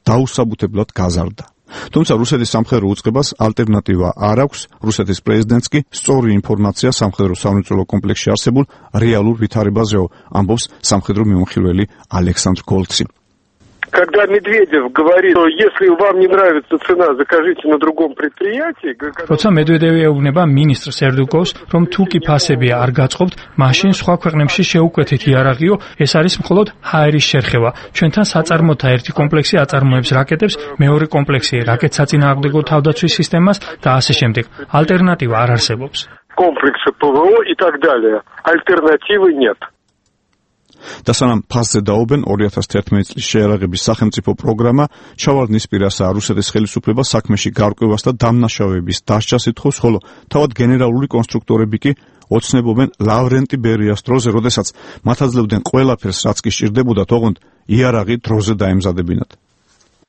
დაუსაბუთებლად გაზარდა. თუმცა რუსეთის სამხედრო უწყებას ალტერნატივა არ აქვს, რუსეთის პრეზიდენტს კი სწორი ინფორმაცია სამხედრო სამრეწველო კომპლექსში არსებულ რეალურ ვითარებაზეო, ამბობს სამხედრო მიმოხილველი ალექსანდრ გოლცი. Когда Медведев говорит, что если вам не нравится цена, закажите на другом предприятии. როცა მედვედევი ეუბნება მინისტრ სერდუკოვს, რომ თუ კი ფასები არ გაწყობთ, მაშინ სხვა ქვეყნებში შეუკვეთით იარაღიო, ეს არის მხოლოდ ჰაერის შერხევა. ჩვენთან საწარმოთა ერთი კომპლექსი აწარმოებს რაკეტებს, მეორე კომპლექსი რაკეტსაწინააღმდეგო თავდაცვის სისტემას და ასე შემდეგ. ალტერნატივა არ არსებობს. Комплексы ПВО и так далее. Альтернативы нет. და სანამ ფასზე დაობენ 2011 წლის შეიარაღების სახელმწიფო პროგრამა ჩავარდნის პირასაა რუსეთის ხელისუფლება საქმეში გარკვევას და დამნაშავეების დასჯას ითხოვს, ხოლო თავად გენერალური კონსტრუქტორები კი ოცნებობენ ლავრენტი ბერიას დროზე, როდესაც მათ აძლევდნენ ყველაფერს, რაც კი სჭირდებოდათ, ოღონდ იარაღი დროზე დაემზადებინათ.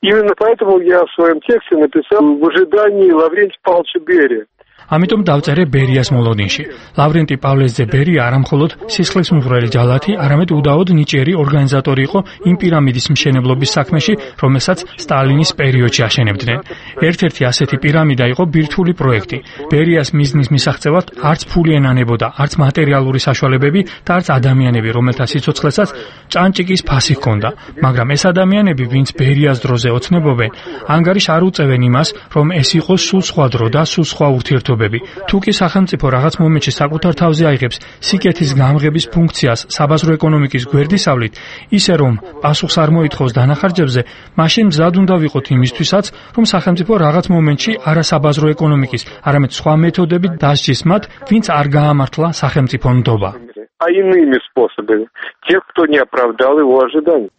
Именно поэтому я в своем тексте написал в ожидании Лаврентия Павловича Берия. ამიტომ დავწერე ბერიას მოლოდინში. ლავრენტი პავლესძე ბერია არა მხოლოდ სისხლის მღვრელი ჯალათი, არამედ უდაოდ ნიჭიერი ორგანიზატორი იყო იმ პირამიდის მშენებლობის საქმეში, რომელსაც სტალინის პერიოდში აშენებდნენ. ერთ-ერთი ასეთი პირამიდა იყო ბირთვული პროექტი. ბერიას მიზნის მისაღწევად არც ფული ენანებოდა, არც მატერიალური საშუალებები და არც ადამიანები, რომელთა სიცოცხლესაც ჭანჭიკის ფასი ჰქონდა. მაგრამ ეს ადამიანები, ვინც ბერიას დროზე ოცნებობენ, ანგარიშ არ უწევენ იმას, რომ ეს იყოს სულ სხვა დრო და სულ სხვა ურთიერთობა. თუ კი სახელმწიფო რაღაც მომენტში საკუთარ თავზე აიღებს სიკეთის გამღების ფუნქციას საბაზრო ეკონომიკის გვერდისავლით, ისე რომ პასუხს არ მოითხოვს დანახარჯებზე, მაშინ მზად უნდა ვიყოთ იმისთვისაც, რომ სახელმწიფო რაღაც მომენტში არა საბაზრო ეკონომიკის, არამედ სხვა მეთოდებით დასჯის მათ, ვინც არ გაამართლა სახელმწიფო ნდობა. А иными способами. Тех, кто не оправдал его ожиданий.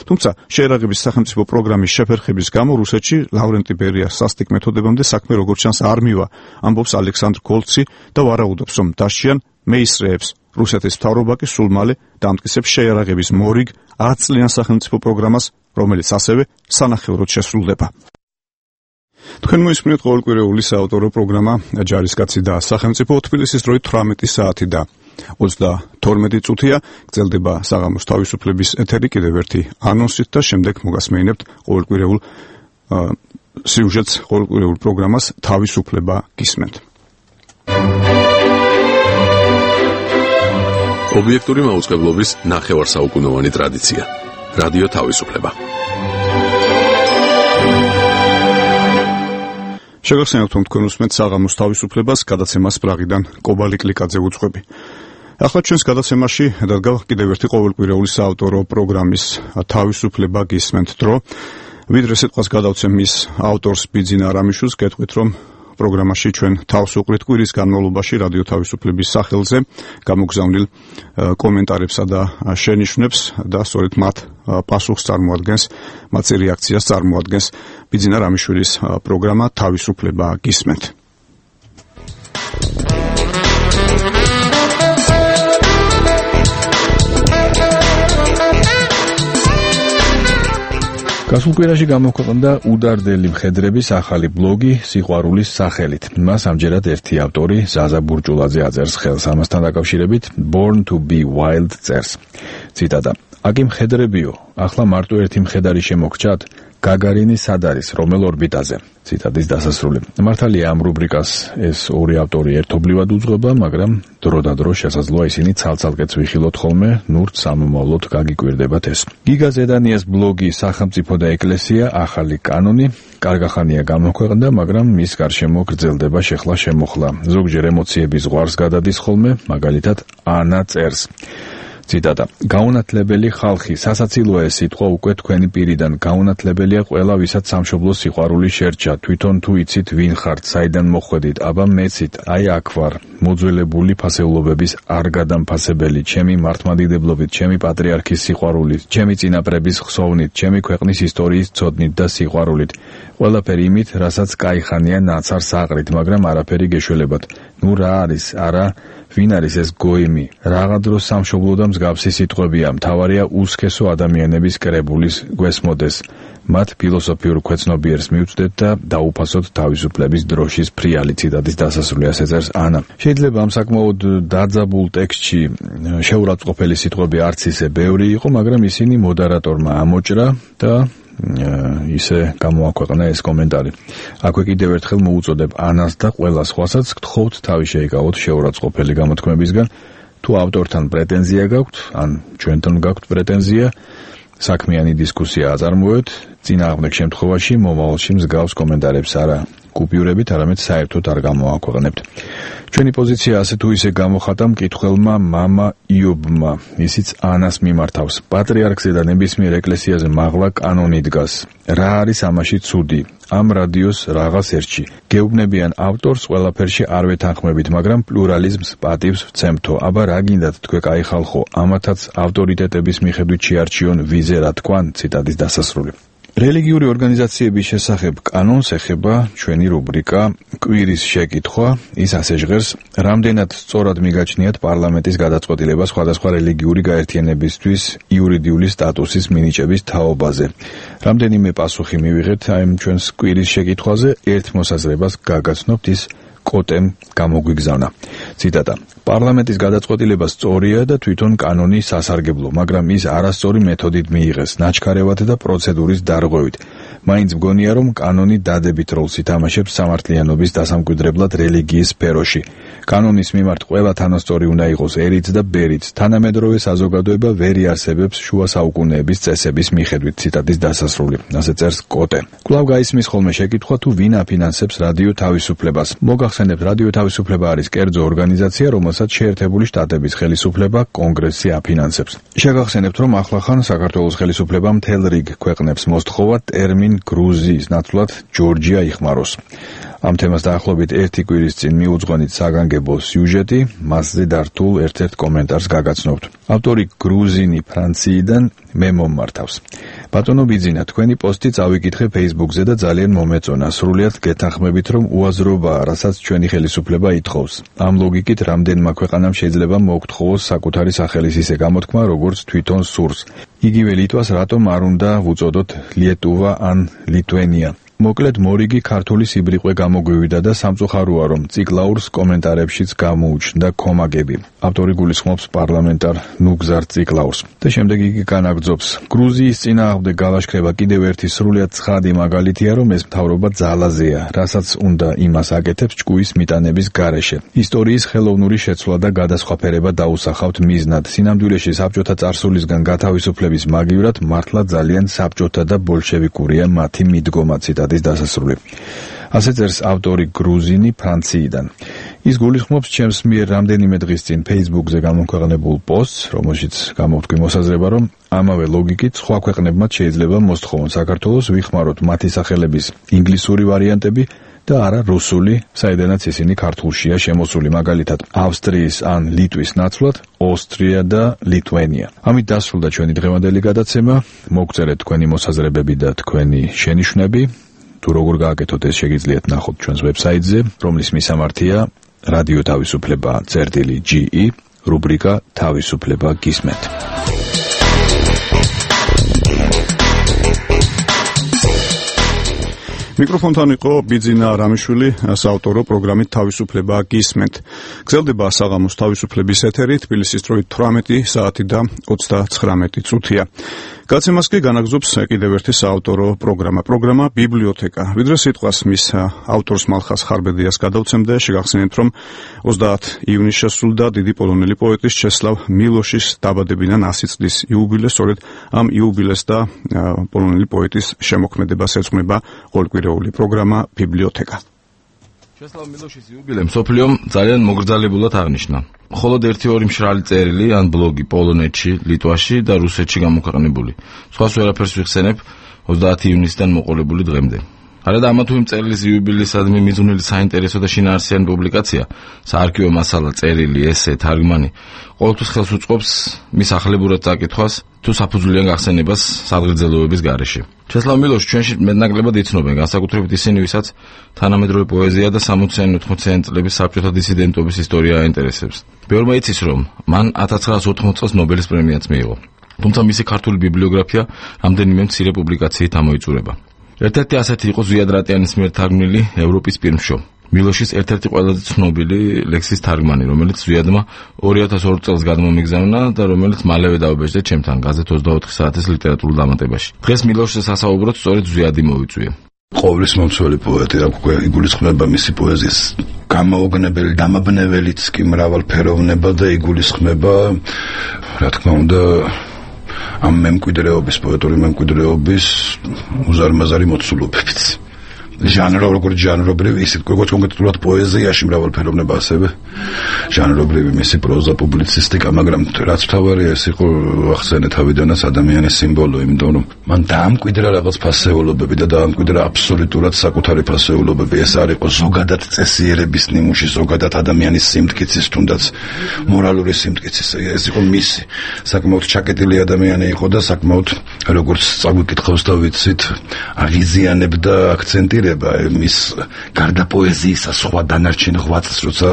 თუმცა შეიარაღების სახელმწიფო პროგრამის შეფერხების გამო რუსეთში ლავრენტი ბერიას სასტიკ მეთოდებამდე საქმე როგორც ჩანს არ მივა, ამბობს ალექსანდრ გოლცი და ვარაუდობს, რომ დასჯიან მეისრეებს. რუსეთის მთავრობა კი სულ მალე დამტკიცებს შეიარაღების მორიგ 10 წლიან სახელმწიფო პროგრამას, რომელიც ასევე სანახევროდ შესრულდება. თქვენ მოისმინეთ ყოველკვირეული საავტორო პროგრამა ჯარისკაცი და სახელმწიფო, თბილისის დროით 18 საათი და 32 წუთია. გრძელდება საღამოს თავისუფლების ეთერი კიდევ ერთი ანონსით და შემდეგ მოგასმენებთ ყოველკვირეულ სიუჟეტს, ყოველკვირეულ პროგრამას თავისუფლება გისმენთ. ობიექტური მაუწყებლობის ნახევარსაუკუნოვანი ტრადიცია. რადიო თავისუფლება. შეგახსენებთ, რომ თქვენ უსმენთ საღამოს თავისუფლებას, გადაცემას პრაღიდან კობალი კლიკაძე უძღვები. ახლა ჩვენს გადაცემაში დადგა კიდევ ერთი ყოველკვირეული საავტორო პროგრამის თავისუფლება გისმენთ დრო. ვიდრე სიტყვას გადავცემ მის ავტორს ბიძინა არამიშვილს, გეტყვით, რომ პროგრამაში ჩვენ თავს უყრით კვირის განმავლობაში რადიო თავისუფლების სახელზე გამოგზავნილ კომენტარებსა და შენიშვნებს და სწორედ მათ პასუხს წარმოადგენს, მათი რეაქციას წარმოადგენს ბიძინა არამიშვილის პროგრამა თავისუფლება გისმენთ. გასულ კვირაში გამოქვეყნდა უდარდელი მხედრების ახალი ბლოგი სიყვარულის სახელით. მას ამჯერად ერთი ავტორი ზაზა ბურჭულაძე აწერს ხელს, ამასთან დაკავშირებით Born to be Wild წერს. ციტატა: "აკი მხედრებიო, ახლა მარტო ერთი მხედარი შემოგჭათ? გაგარინი სად არის, რომელ ორბიტაზე?" ციტატის დასასრული. მართალია ამ რუბრიკას ეს ორი ავტორი ერთობლივად უძღვება, მაგრამ დრო და დრო შესაძლოა ისინი ცალ-ცალკეც ვიხილოთ ხოლმე, ნურთ სამომავლოდ გაგიკვირდებათ ეს. გიგა ზედანიას ბლოგი სახელმწიფო და ეკლესია ახალი კანონი კარგახანია გამოქვეყნდა, მაგრამ მის გარშემო გრძელდება შეხლა-შემოხლა. ზოგჯერ ემოციების ზღვარს გადადის ხოლმე, მაგალითად ანა წერს: ციტატა: "გაუნათლებელი ხალხი, სასაცილოა ეს სიტყვა უკვე თქვენი პირიდან. გაუნათლებელია ყველა, ვისაც სამშობლოს სიყვარული შერჩა. თვითონ თუ იცით ვინ ხართ, საიდან მოხვედით, აბა მეცით, აი აქ ვარ. მოძველებული ფასეულობების არ გადამფასებელი, ჩემი მართლმადიდებლობით, ჩემი პატრიარქის სიყვარულით, ჩემი წინაპრების ხსოვნით, ჩემი ქვეყნის ისტორიის ცოდნით და სიყვარულით. ყველაფერი იმით, რასაც კაიხანია ნაცარ საყრით, მაგრამ არაფერი გეშველებათ. ნუ რა არის, არა, ვინ არის ეს გოიმი? რაღა დროს სამშობლო და მსგავსი სიტყვებია, მთავარია უსქესო ადამიანების კრებულის გვესმოდეს. მათ ფილოსოფიურ ქვეცნობიერს მივწვდეთ და დაუფასოთ თავისუფლების დროშის ფრიალი." ციტატის დასასრული ასე წერს ანა. შეიძლება ამ საკმაოდ დაძაბულ ტექსტში შეურაცხყოფელი სიტყვები არც ისე ბევრი იყო, მაგრამ ისინი მოდერატორმა ამოჭრა და ისე გამოაქვეყნა ეს კომენტარი. აქვე კიდევ ერთხელ მოუწოდებ ანას და ყველა სხვასაც გთხოვთ თავი შეიკავოთ შეურაცხყოფელი გამოთქმებისგან. თუ ავტორთან პრეტენზია გაქვთ, ან ჩვენთან გაქვთ პრეტენზია, საქმიანი დისკუსია აწარმოეთ, წინააღმდეგ შემთხვევაში მომავალში მსგავს კომენტარებს არა კუპიურებით, არამედ საერთოდ არ გამოაქვეყნებთ. ჩვენი პოზიცია ასე თუ ისე გამოხატა მკითხველმა მამა იობმა, ისიც ანას მიმართავს. პატრიარქზე და ნებისმიერ ეკლესიაზე მაღლა კანონი დგას. რა არის ამაში ცუდი? ამ რადიოს რაღაც ერთში. გეუბნებიან ავტორს ყველაფერში არ ვეთანხმებით, მაგრამ პლურალიზმს პატივს ვცემთო. აბა რა გინდათ თქვენ კაი ხალხო, ამათაც ავტორიტეტების მიხედვით შეარჩიონ ვიზე რა თქვან? ციტატის დასასრული. რელიგიური ორგანიზაციების შესახებ კანონს ეხება ჩვენი რუბრიკა კვირის შეკითხვა. ის ასე ჟღერს: რამდენად სწორად მიგაჩნიათ პარლამენტის გადაწყვეტილება სხვადასხვა რელიგიური გაერთიანებისთვის იურიდიული სტატუსის მინიჭების თაობაზე? რამდენიმე პასუხი მივიღეთ აი ჩვენს კვირის შეკითხვაზე, ერთ მოსაზრებას გაგაცნობთ, ის კოტემ გამოგვიგზავნა. ციტატა: პარლამენტის გადაწყვეტილება სწორია და თვითონ კანონი სასარგებლო, მაგრამ ის არასწორი მეთოდით მიიღეს, ნაჩქარევად და პროცედურის დარღვევით. მაინც მგონია, რომ კანონი დადებით როლს ითამაშებს სამართლიანობის დასამკვიდრებლად რელიგიის სფეროში. კანონის მიმართ ყველა თანასწორი უნდა იყოს ერით და ბერით. თანამედროვე საზოგადოება ვერ იარსებებს შუა საუკუნეების წესების მიხედვით. ციტატის დასასრული. ასე წერს კოტე. კვლავ გაისმის ხოლმე შეკითხვა, თუ ვინ აფინანსებს რადიო თავისუფლებას. მოგახსენებთ, რადიო თავისუფლება არის კერძო ორგანიზაცია, რომელსაც შეერთებული შტატების ხელისუფლება კონგრესი აფინანსებს. შეგახსენებთ, რომ ახლახან საქართველოს ხელისუფლება მთელ რიგ ქვეყნებს მოსთხოვა ტერმინ გრუზიის ნაცვლად ჯორჯია იხმაროს. ამ თემას დაახლოებით ერთი კვირის წინ მიუძღვენით საგანგებო სიუჟეტი, მასზე დართულ ერთ-ერთ კომენტარს გაგაცნობთ. ავტორი გრუზინი ფრანციიდან მე მომმართავს. ბატონო ბიძინა, თქვენი პოსტი წავიკითხე Facebook-ზე და ძალიან მომეწონა. სრულიად გეთანხმებით, რომ უაზრობაა, რასაც ჩვენი ხელისუფლება ითხოვს. ამ ლოგიკით რამდენმა ქვეყანამ შეიძლება მოუგთხოვოს საკუთარი სახელის ისე გამოთქმა, როგორც თვითონ სურს. იგივე ლიტვას რატომ არ უნდა ვუწოდოთ ლიეტუვა ან ლიტვენია? მოკლედ მორიგი ქართული სიბრიყვე გამოგვივიდა და სამწუხაროა, რომ ციკლაურს კომენტარებშიც გამოუჩნდა კომაგები. ავტორი გულისხმობს პარლამენტარ ნუგზარ ციკლაურს. და შემდეგ იგი განაგრძობს: გრუზიის წინააღმდეგ გალაშქრება კიდევ ერთი სრულიად ცხადი მაგალითია, რომ ეს მთავრობა ძალაზეა, რასაც უნდა იმას აკეთებს ჭკუის მიტანების გარეშე. ისტორიის ხელოვნური შეცვლა და გადასხვაფერება დაუსახავთ მიზნად. სინამდვილეში საბჭოთა წარსულისგან გათავისუფლების მაგივრად მართლა ძალიან საბჭოთა და ბოლშევიკურია მათი მიდგომა. ციტატის დასასრული. ასე წერს ავტორი გრუზინი ფრანციიდან. ის გულისხმობს ჩემს მიერ რამდენიმე დღის წინ Facebook-ზე გამოქვეყნებულ პოსტს, რომელშიც გამოვთქვი მოსაზრება, რომ ამავე ლოგიკით სხვა ქვეყნებმაც შეიძლება მოსთხოვონ საქართველოს ვიხმაროთ მათი სახელების ინგლისური ვარიანტები და არა რუსული, საიდანაც ისინი ქართულშია შემოსული, მაგალითად ავსტრიის ან ლიტვის ნაცვლად ოსტრია და ლიტვენია. ამით დასრულდა ჩვენი დღევანდელი გადაცემა. მოგწერეთ თქვენი მოსაზრებები და თქვენი შენიშვნები. თუ როგორ გააკეთოთ, ეს შეგიძლიათ ნახოთ ჩვენს ვებსაიტზე, რომლის მისამართია რადიო თავისუფლება წერტილი.ge, რუბრიკა თავისუფლება გისმენთ. მიკროფონთან იყო ბიძინა რამიშვილი, საავტორო პროგრამით თავისუფლება გისმენთ. გრძელდება საღამოს თავისუფლების ეთერი, თბილისის დროით 18 საათი და 39 წუთია. გაცემას კი განაგზობს კიდევ ერთი საავტორო პროგრამა ბიბლიოთეკა. ვიდრე სიტყვას მის ავტორს მალხას ხარბედიას გადავცემდა, შეგახსენებთ, რომ 30 ივნისს შესრულდა დიდი პოლონელი პოეტის ჩესლავ მილოშის დაბადებიდან 100 წლის იუბილე, სწორედ ამ იუბილეს და პოლონელი პოეტის შემოქმედებას ეძღვნება ყოველკვირეული პროგრამა ბიბლიოთეკა. ჩესლავ მილოშის იუბილე მსოფლიომ ძალიან მოგრძალებულად აღნიშნა. მხოლოდ 1-2 მშრალი წერილი ან ბლოგი პოლონეთში, ლიტვაში და რუსეთში გამოქვეყნებული. სხვას ვერაფერს ვიხსენებ 30 ივნისიდან მოყოლებული დღემდე. არადა ამა თუ იმ წერილის იუბილეისადმი მიძღვნილი საინტერესო და შინაარსიანი პუბლიკაცია, საარქივო მასალა, წერილი, ესე, თარგმანი, ყოველთვის ხელს უწყობს მის ახლებურად წაკითხვას თუ საფუძვლიან გახსენებას სადღეგრძელოების გარეშე. ჩესლავ მილოშს ჩვენში მეტნაკლებად იცნობენ, განსაკუთრებით ისინი, ვისაც თანამედროვე პოეზია და 60-80-იანი წლების საბჭოთა დისიდენტობის ისტორია აინტერესებს. ბევრმა იცის, რომ მან 1980 წელს ნობელის პრემიაც მიიღო. თუმცა მისი ქართული ბიბლიოგრაფია რამდენიმე მცირე პუბლიკაციით ამოიწურება. ერთ-ერთი ასეთი იყო ზვიად რატიანის მიერ თარგმნილი ევროპის პირმშო. მილოშის ერთ-ერთი ყველაზე ცნობილი ლექსის თარგმანი, რომელიც ზვიადმა 2002 წელს გადმომიგზავნა და რომელიც მალევე დაუბეჭდა ჩემთან გაზეთ 24 საათის ლიტერატურულ დამატებაში. დღეს მილოშზე სასაუბროთ სწორედ ზვიადი მოვიწვია. ყოვლის მომცველი პოეტი, რა უკვე იგულისხმება მისი პოეზიის გამოუგნებელი, დამაბნეველიც კი მრავალფეროვნება და იგულისხმება, რა თქმა უნდა, ამ მემკვიდრეობის, პოეტური მემკვიდრეობის უზარმაზარი მოცულობებით. ჟანრობრივი, ისეთ როგორც კონკრეტულად პოეზიაში მრავალფეროვნება ასევე ჟანრობრივი მისი პროზა, პუბლიცისტიკა, მაგრამ რაც თავარია ეს იყო ახსენე თავიდანაც ადამიანის სიმბოლო, იმიტომ რომ მან დაამკვიდრა რაღაც ფასეულობები და დაამკვიდრა აბსოლუტურად საკუთარი ფასეულობები. ეს არ იყო ზოგადად წესიერების ნიმუში, ზოგადად ადამიანის სიმტკიცის, თუნდაც მორალური სიმტკიცის. ეს იყო მისი საკმაოდ ჩაკეტილი ადამიანი იყო და საკმაოდ როგორც წაგვიკითხავს და ვიცით, აღიზიანებდა აქცენტირება მის გარდა პოეზიისა სხვა დანარჩენ ღვაწლს, როცა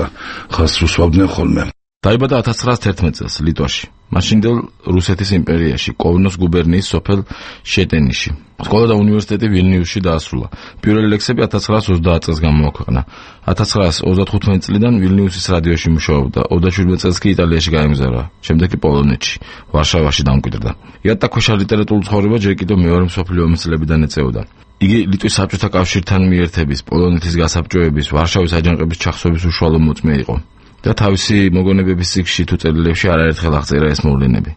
ხაზს უსვამდნენ ხოლმე. დაიბადა 1911 წელს ლიტვაში, მაშინდელ რუსეთის იმპერიაში, კოვნოს გუბერნიის სოფელ შეტენიში. სკოლა და უნივერსიტეტი ვილნიუსში დაასრულა. პირველი ლექსები 1930 წელს გამოაქვეყნა. 1935 წლიდან ვილნიუსის რადიოში მუშაობდა, 27 წელს კი იტალიაში გაემგზავრა, შემდეგ კი პოლონეთში, ვარშავაში დამკვიდრდა. იატაკქვეშა ლიტერატურულ ცხოვრება ჯერ კიდევ მეორე მსოფლიო ომის წლებიდან ეწეოდა. იგი ლიტვის საბჭოთა კავშირთან მიერთების, პოლონეთის გასაბჭოების, ვარშავის აჯანყების ჩახსოვის უშუალო მოწმე იყო და თავისი მოგონებების წიგნში თუ წერილებში არაერთხელ აღწერა ეს მოვლენები.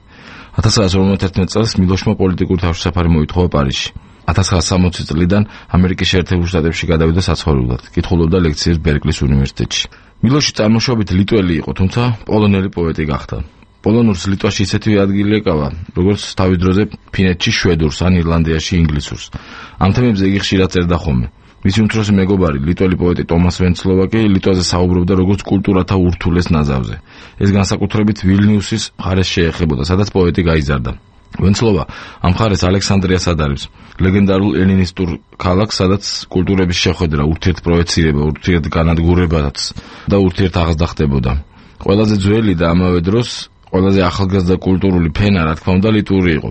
1951 წელს მილოშმა პოლიტიკური თავშესაფარი მოითხოვა პარიზში. 1960 წლიდან ამერიკის შეერთებულ შტატებში გადავიდა საცხოვრებლად, კითხულობდა ლექციებს ბერკლის უნივერსიტეტში. მილოში წარმოშობით ლიტველი იყო, თუმცა პოლონელი პოეტი გახდა. პოლონურს ლიტვაში ისეთივე ადგილი ეკავა, როგორც თავის დროზე ფინეთში შვედურს ან ირლანდიაში ინგლისურს. ამ თემებზე იგი ხშირად წერდა ხოლმე. მისი უმცროსი მეგობარი, ლიტველი პოეტი ტომას ვენცლოვაკი ლიტვაზე საუბრობდა როგორც კულტურათა ურთულეს ნაზავზე. ეს განსაკუთრებით ვილნიუსის მხარეს შეეხებოდა, სადაც პოეტი გაიზარდა. ვენცლოვა ამ მხარეს ალექსანდრიას ადარებს, ლეგენდარულ ელინისტურ ქალაქს, სადაც კულტურების შეხვედრა, ურთიერთპროეცირება, ურთიერთგანადგურებაც და ურთიერთაღაზრდა ხდებოდა. ყველაზე ძველი და ამავე დროს ყველაზე ახალგაზრდა კულტურული ფენა, რა თქმა უნდა, ლიტვური იყო.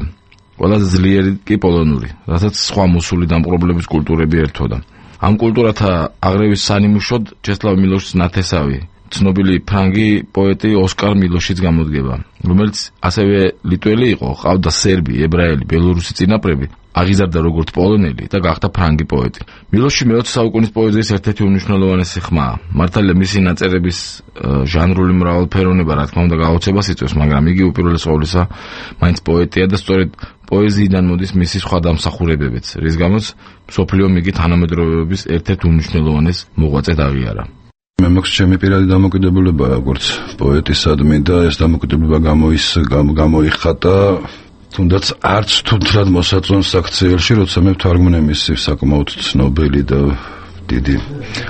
ყველაზე ძლიერი კი პოლონური, რასაც სხვა მოსული დამპყრობლების კულტურები ერთვოდა. ამ კულტურათა აღრევის სანიმუშოდ ჩესლავ მილოშის ნათესავი, ცნობილი ფრანგი პოეტი ოსკარ მილოშიც გამოდგება, რომელიც ასევე ლიტველი იყო, ყავდა სერბი, ებრაელი, ბელორუსი წინაპრები, აღიზარდა როგორც პოლონელი და გახდა ფრანგი პოეტი. მილოში მე-20 საუკუნის პოეზიის ერთ-ერთი უმნიშვნელოვანესი ხმაა. მართალია მისი ნაწერების ჟანრული მრავალფეროვნება, რა თქმა უნდა, გაოცებას იწვევს, მაგრამ იგი უპირველეს ყოვლისა მაინც პოეტია და სწორედ პოეზიიდან მოდის მისი სხვა დამსახურებებიც, რის გამოც მსოფლიომ იგი თანამედროვეობის ერთ-ერთ უმნიშვნელოვანეს მოღვაწედ აღიარა. მე მაქვს ჩემი პირადი დამოკიდებულება როგორც პოეტისადმი და ეს დამოკიდებულება გამოიხატა თუნდაც არც თუნდაც მოსაწონს აქციელში, როცა მე ვთარგმნე მისი საკმაოდ ცნობილი და დიდი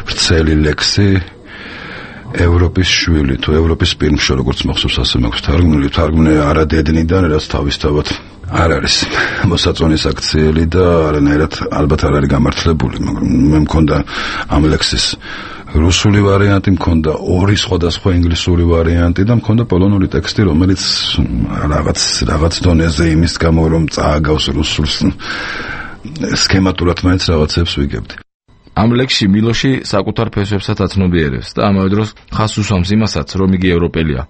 ვრცელი ლექსი ევროპის შვილი თუ ევროპის პირმშო, როგორც მახსოვს, ასე მაქვს თარგმნე არადედნიდან, რაც თავისთავად არ არის მოსაწონის აქციელი და არანაირად ალბათ არ არის გამართლებული, მაგრამ მე მქონდა ამ ლექსის რუსული ვარიანტი, მქონდა ორი სხვადასხვა ინგლისური ვარიანტი და მქონდა პოლონური ტექსტი, რომელიც რაღაც დონეზე იმის გამო რომ წააგავს რუსულს სქემატურად მაინც რაღაცებს ვიგებდი. ამ ლექსში მილოში საკუთარ ფესვებსაც აცნობიერებს და ამავე დროს ხაზს უსვამს იმასაც, რომ იგი ევროპელია.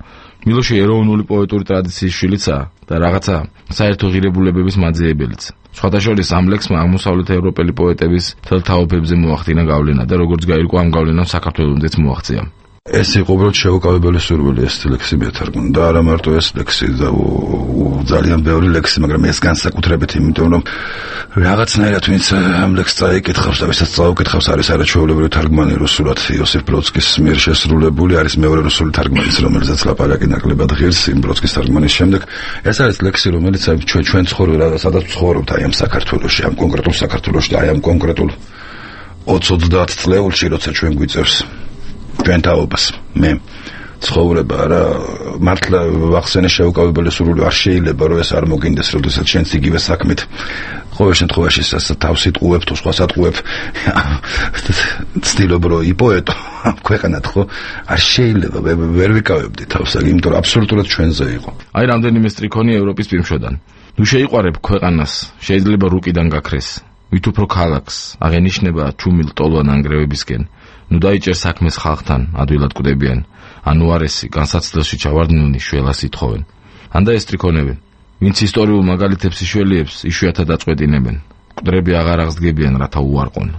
მილოში ეროვნული პოეტური ტრადიციის შვილიცაა და რაღაცა საერთო ღირებულებების მაძიებელიც. სხვათა შორის ამ ლექსმა აღმოსავლეთ ევროპელი პოეტების თელ თაობებზე მოახდინა გავლენა და როგორც გაირკვა ამ გავლენამ საქართველოსმაც მოაღწია. ეს იყო უბრალოდ შეუკავებელი სურვილი ეს ლექსი მეთარგმნა და არა მარტო ეს ლექსი და ძალიან ბევრი ლექსი, მაგრამ ეს განსაკუთრებით, იმიტომ რომ რაღაცნაირად ვინც ამ ლექსს წაიკითხავს და ვისაც წაუკითხავს არის არაჩვეულებრივი თარგმანი რუსულად იოსიფ ბროდსკის მიერ შესრულებული, არის მეორე რუსული თარგმანი, რომელზეც ლაპარაკი ნაკლებად ღირს იმ ბროდსკის თარგმანის შემდეგ. ეს არის ლექსი, რომელიც ჩვენ ცხოვრობ, სადაც ცხოვრობთ აი ამ საქართველოში, ამ კონკრეტულ საქართველოში და აი ამ კონკრეტულ 20-30 წლეულში, როცა ჩვენ გვიწევს ჩვენ თაობას მე ცხოვრება რა მართლა ვახსენე შეუკავებელი სურვილი არ შეიძლება რომ ეს არ მოგინდეს როდესაც შენც იგივე საქმით ყოველ შემთხვევაში თავს იტყუებ თუ სხვას ატყუებ ცდილობ რომ იპოეტო ქვეყანად ხო არ შეიძლება ვერ ვიკავებდი თავს იმიტომ რომ აბსოლუტურად ჩვენზე იყო აი რამდენიმე სტრიქონი ევროპის პირმშოდან ნუ შეიყვარებ ქვეყანას შეიძლება რუკიდან გაქრეს ვით უფრო ქალაქს აღენიშნება ჩუმილ ტოლვან ანგრევებისკენ ნუ დაიჭერ საქმეს ხალხთან ადვილად კვდებიან ანუ არესი განსაცდელში ჩავარდნილნი შველას ითხოვენ ანდა ეს სტრიქონებენ ვინც ისტორიულ მაგალითებს იშველიებს იშვიათად აწყვეტინებენ კვდრები აღარ აღსდგებიან რათა უარყონ